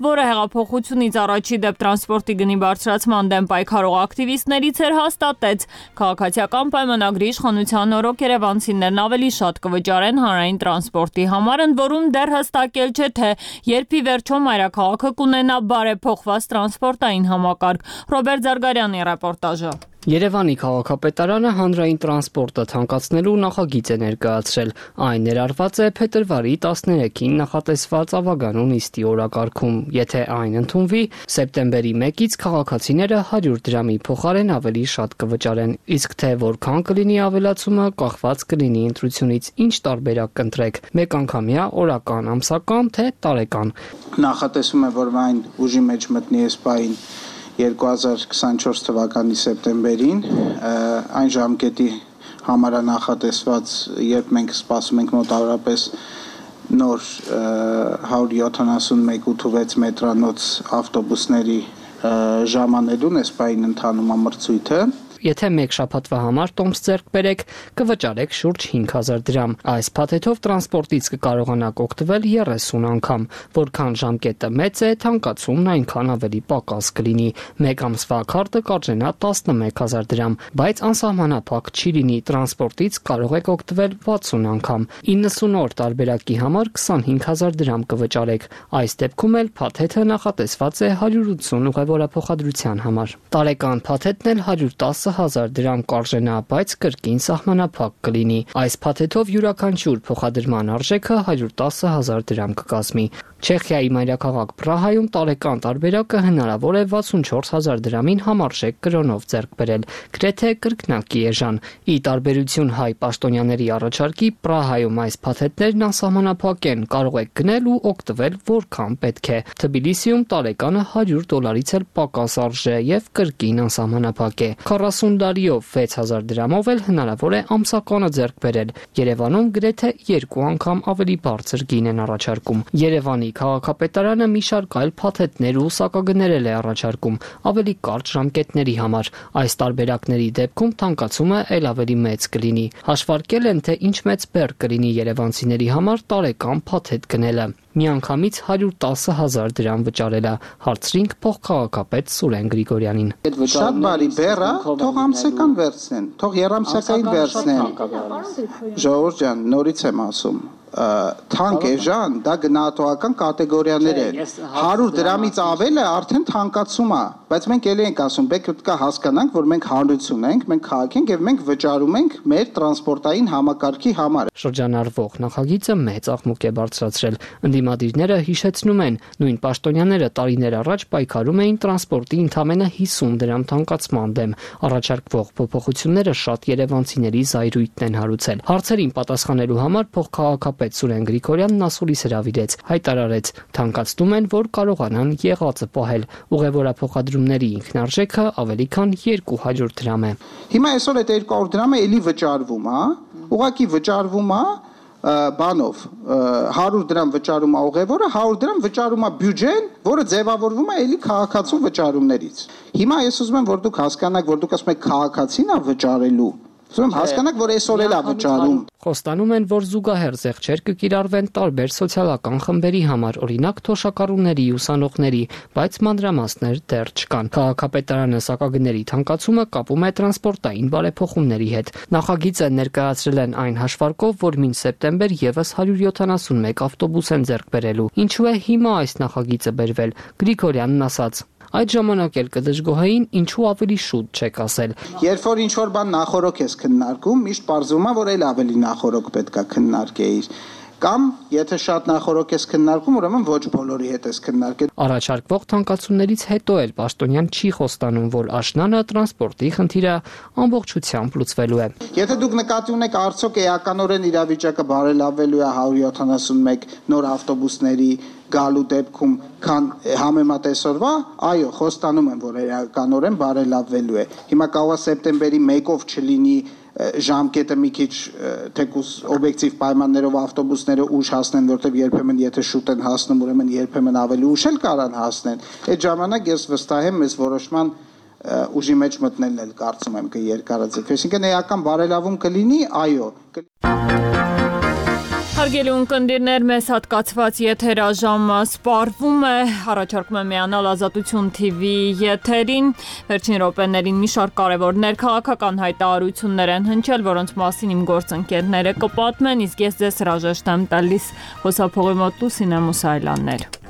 որը հեղափոխությունից առաջի դեպ տրանսպորտի գնի բարձրացման դեմ պայքարող ակտիվիստներից էր, հաստատեց քաղաքացիական պայմանագրի իշխանության օրոք երևանցիներն ավելի շատ կվճարեն հանրային տրանսպորտի համար, ընդ որում դեռ հստակ չէ, թե երբ ի վերջո մայրաքաղաքը կունենա բարեփոխված տրանսպորտային համակարգ։ Ռոբերտ Զարգարյանի ռեպորտաժը։ Երևանի քաղաքապետարանը հանրային տրանսպորտը թանկացնելու նախագիծ է ներկայացրել։ Այն ներառված է փետրվարի 13-ին նախատեսված ավագանու նիստի օրակարգում։ Եթե այն ընդունվի, սեպտեմբերի 1-ից քաղաքացիները 100 դրամի փոխարեն ավելի շատ կվճարեն, իսկ թե որքան կլինի ավելացումը, կախված կլինի ընտրությունից, ինչ տարբերակ կընտրեք՝ մեկ անգամյա, օրական, ամսական, թե տարեկան։ Նախատեսում է, որ այն ուժի մեջ մտնի էսպային 2024 թվականի սեպտեմբերին, այն ժամկետի համար նախատեսված, երբ մենք սպասում ենք մոտավորապես նոր 171-86 մետրանոց ավտոբուսների ժամանելուն էսպային ընթանում ամրցույթը։ Եթե մեկ շաբաթվա համար տոմս ձեռք բերեք, կվճարեք շուրջ 5000 դրամ։ Այս փաթեթով տրանսպորտից կկարողանաք օգտվել 30 անգամ, որքան ժամկետը մեծ է, թանկացումն այնքան ավելի պակաս կլինի։ Մեկ ամսվա քարտը կարժենա 11000 դրամ, բայց անսահմանափակ չի լինի, տրանսպորտից կարող եք օգտվել 60 անգամ։ 90 օր տարբերակի համար 25000 դրամ կվճարեք։ Այս դեպքում էլ փաթեթը նախատեսված է 180 ուղևորափոխադրության համար։ Տարեկան փաթեթն էլ 110,000 դրամ կարժենա, բայց կրկին սահմանափակ կլինի։ Այս փաթեթով յուրաքանչյուր փոխադրման արժեքը 110,000 դրամ կկազմի։ Չեխիայի մայրաքաղաք Պրահայում տարեկան տարբերակը հնարավոր է 64,000 դրամին համարժեք կրոնով ձեռք բերել, գրեթե կրկնակի էժան։ Ի տարբերություն հայ պաշտոնյաների առաջարկի, Պրահայում այս փաթեթներն անսահմանափակ են, կարող եք գնել ու օգտվել որքան պետք է։ Թբիլիսիում տարեկանը $100-ից էլ պակաս արժե եւ կրկին անսահմանափակ է։ 40 տարիով 6000 դրամով էլ հնարավոր է ամսականը ձեռք բերել։ Երևանում գրեթե 2 անգամ ավելի բարձր գին են առաջարկում։ Երևանի քաղաքապետարանը մի շարք այլ փաթեթներ ու սակագներ է առաջարկում ավելի կարճ ժամկետների համար։ Այս տարբերակների դեպքում թանկացումը ել ավելի մեծ կլինի։ Հաշվարկել են, թե ինչ մեծ բեռ կլինի երևանցիների համար տարեկան փաթեթ գնելը։ Միանգամից 110,000 դրամ վճարելա, հարցրինք փոխքաղաքապետ Սուրեն Գրիգորյանին։ Շատ բարի բեռ է, թող ամսական վերցնեն, թող երամսյակային վերցնեն։ Ժողովուրդ ջան, նորից եմ ասում, թանկ էժան, դա գնահատողական կատեգորիաներ են։ 100 դրամից ավելը արդեն թանկացում է, բայց մենք ելի ենք ասում, պետք է հասկանանք, որ մենք հանրություն ենք, մենք քաղաք ենք եւ մենք վճարում ենք մեր տրանսպորտային համակարգի համար։ Շրջանառվող նախագիծը մեծ աղմուկ է բարձրացրել։ Ընդդիմադիրները հիշեցնում են, նույն պաշտոնյաները տարիներ առաջ պայքարում էին տրանսպորտի ընդամենը 50 դրամ թանկացման դեմ։ Առաջարկվող փոփոխությունները շատ երևանցիների զայրույթն են հարուցել։ Հարցերին պատասխանելու համար փոխքաղաքապետ Սուրեն Գրիգորյանն ասուլիս հրավիրեց, հայտարարեց, թանկացնում են, որ կարողանան եղածը պահել։ Ուղևորափոխադրումների ինքնարժեքը ավելի քան 200 դրամ է։ Հիմա այսօր այդ 200 դրամը էլի վճարվում, հա։ Ուղղակի վճարվում է բանով 100 դրամ վճարում է ուղևորը, 100 դրամ վճարում է բյուջեն, որը ձևավորվում է էլի քաղաքացու վճարումներից։ Հիմա ես ուզում եմ, որ դուք հասկանաք, որ դուք ասում եք քաղաքացին է վճարելու։ Ուզում եմ հասկանաք, որ այսօր էլ է վճարում։ Խոստանում են, որ զուգահեռ զեղչեր կկիրառվեն տարբեր սոցիալական խմբերի համար, օրինակ թոշակառուների, ուսանողների, բայց մանրամասներ դեռ չկան։ Քաղաքապետարանը սակագների թանկացումը կապում է տրանսպորտային բարեփոխումների հետ։ Նախագիծը ներկայացրել են այն հաշվարկով, որ մինչ սեպտեմբեր եւս 171 ավտոբուս են ձեռք բերելու։ Ինչու է հիմա այս նախագիծը բերվել։ Գրիգորյանն ասաց. Այդ ժամանակ էլ կդժգոհեին, ինչու ավելի շուտ չեք ասել։ Երբ որ ինչ-որ բան նախորոք ես քննարկում, միշտ պարզվում է, որ էլ ավելի նախորոք պետքա քննարկեիր։ Կամ եթե շատ նախորոք ես քննարկում, ուրեմն ոչ բոլորի հետ ես քննարկել։ Առաջարկվող թանկացումներից հետո էլ պաշտոնյան չի խոստանում, որ աշնանը տրանսպորտի խնդիրը ամբողջությամբ լուծվելու է։ Եթե դուք նկատի ունեք, արդյոք էականորեն իրավիճակը բարելավելու է 171 նոր ավտոբուսների գալու դեպքում, քան համեմատ այսօրվա, այո, խոստանում եմ, որ էականորեն բարելավվելու է։ Հիմա կարող է սեպտեմբերի 1-ով չլինի ժամկետը մի քիչ թեկուզ օբյեկտիվ պայմաններով ավտոբուսները ուշ հասնեն, որտեղ երբեմն եթե շուտ են հասնում, ուրեմն երբեմն ավելի ուշ էլ կարան հասնեն։ Այդ ժամանակ ես վստահ եմ, մեզ որոշման ուժի մեջ մտնելն էլ կարծում եմ կերկարաձգվի։ Այսինքն էական բարելավում կլինի, այո։ Հարգելի ունկնդիրներ, մեզ հատկացված եթերաժամը սպառվում է, առաջարկում եմ միանալ Ազատություն TV եթերին, վերջին րոպեներին մի շարք կարևոր ներքաղաքական հայտարարություններ են հնչել, որոնց մասին իմ գործընկերները կպատմեն, իսկ ես ձեզ հրաժեշտ եմ տալիս հոսափողի մոտ Լուսինե Մուսայելյաններ։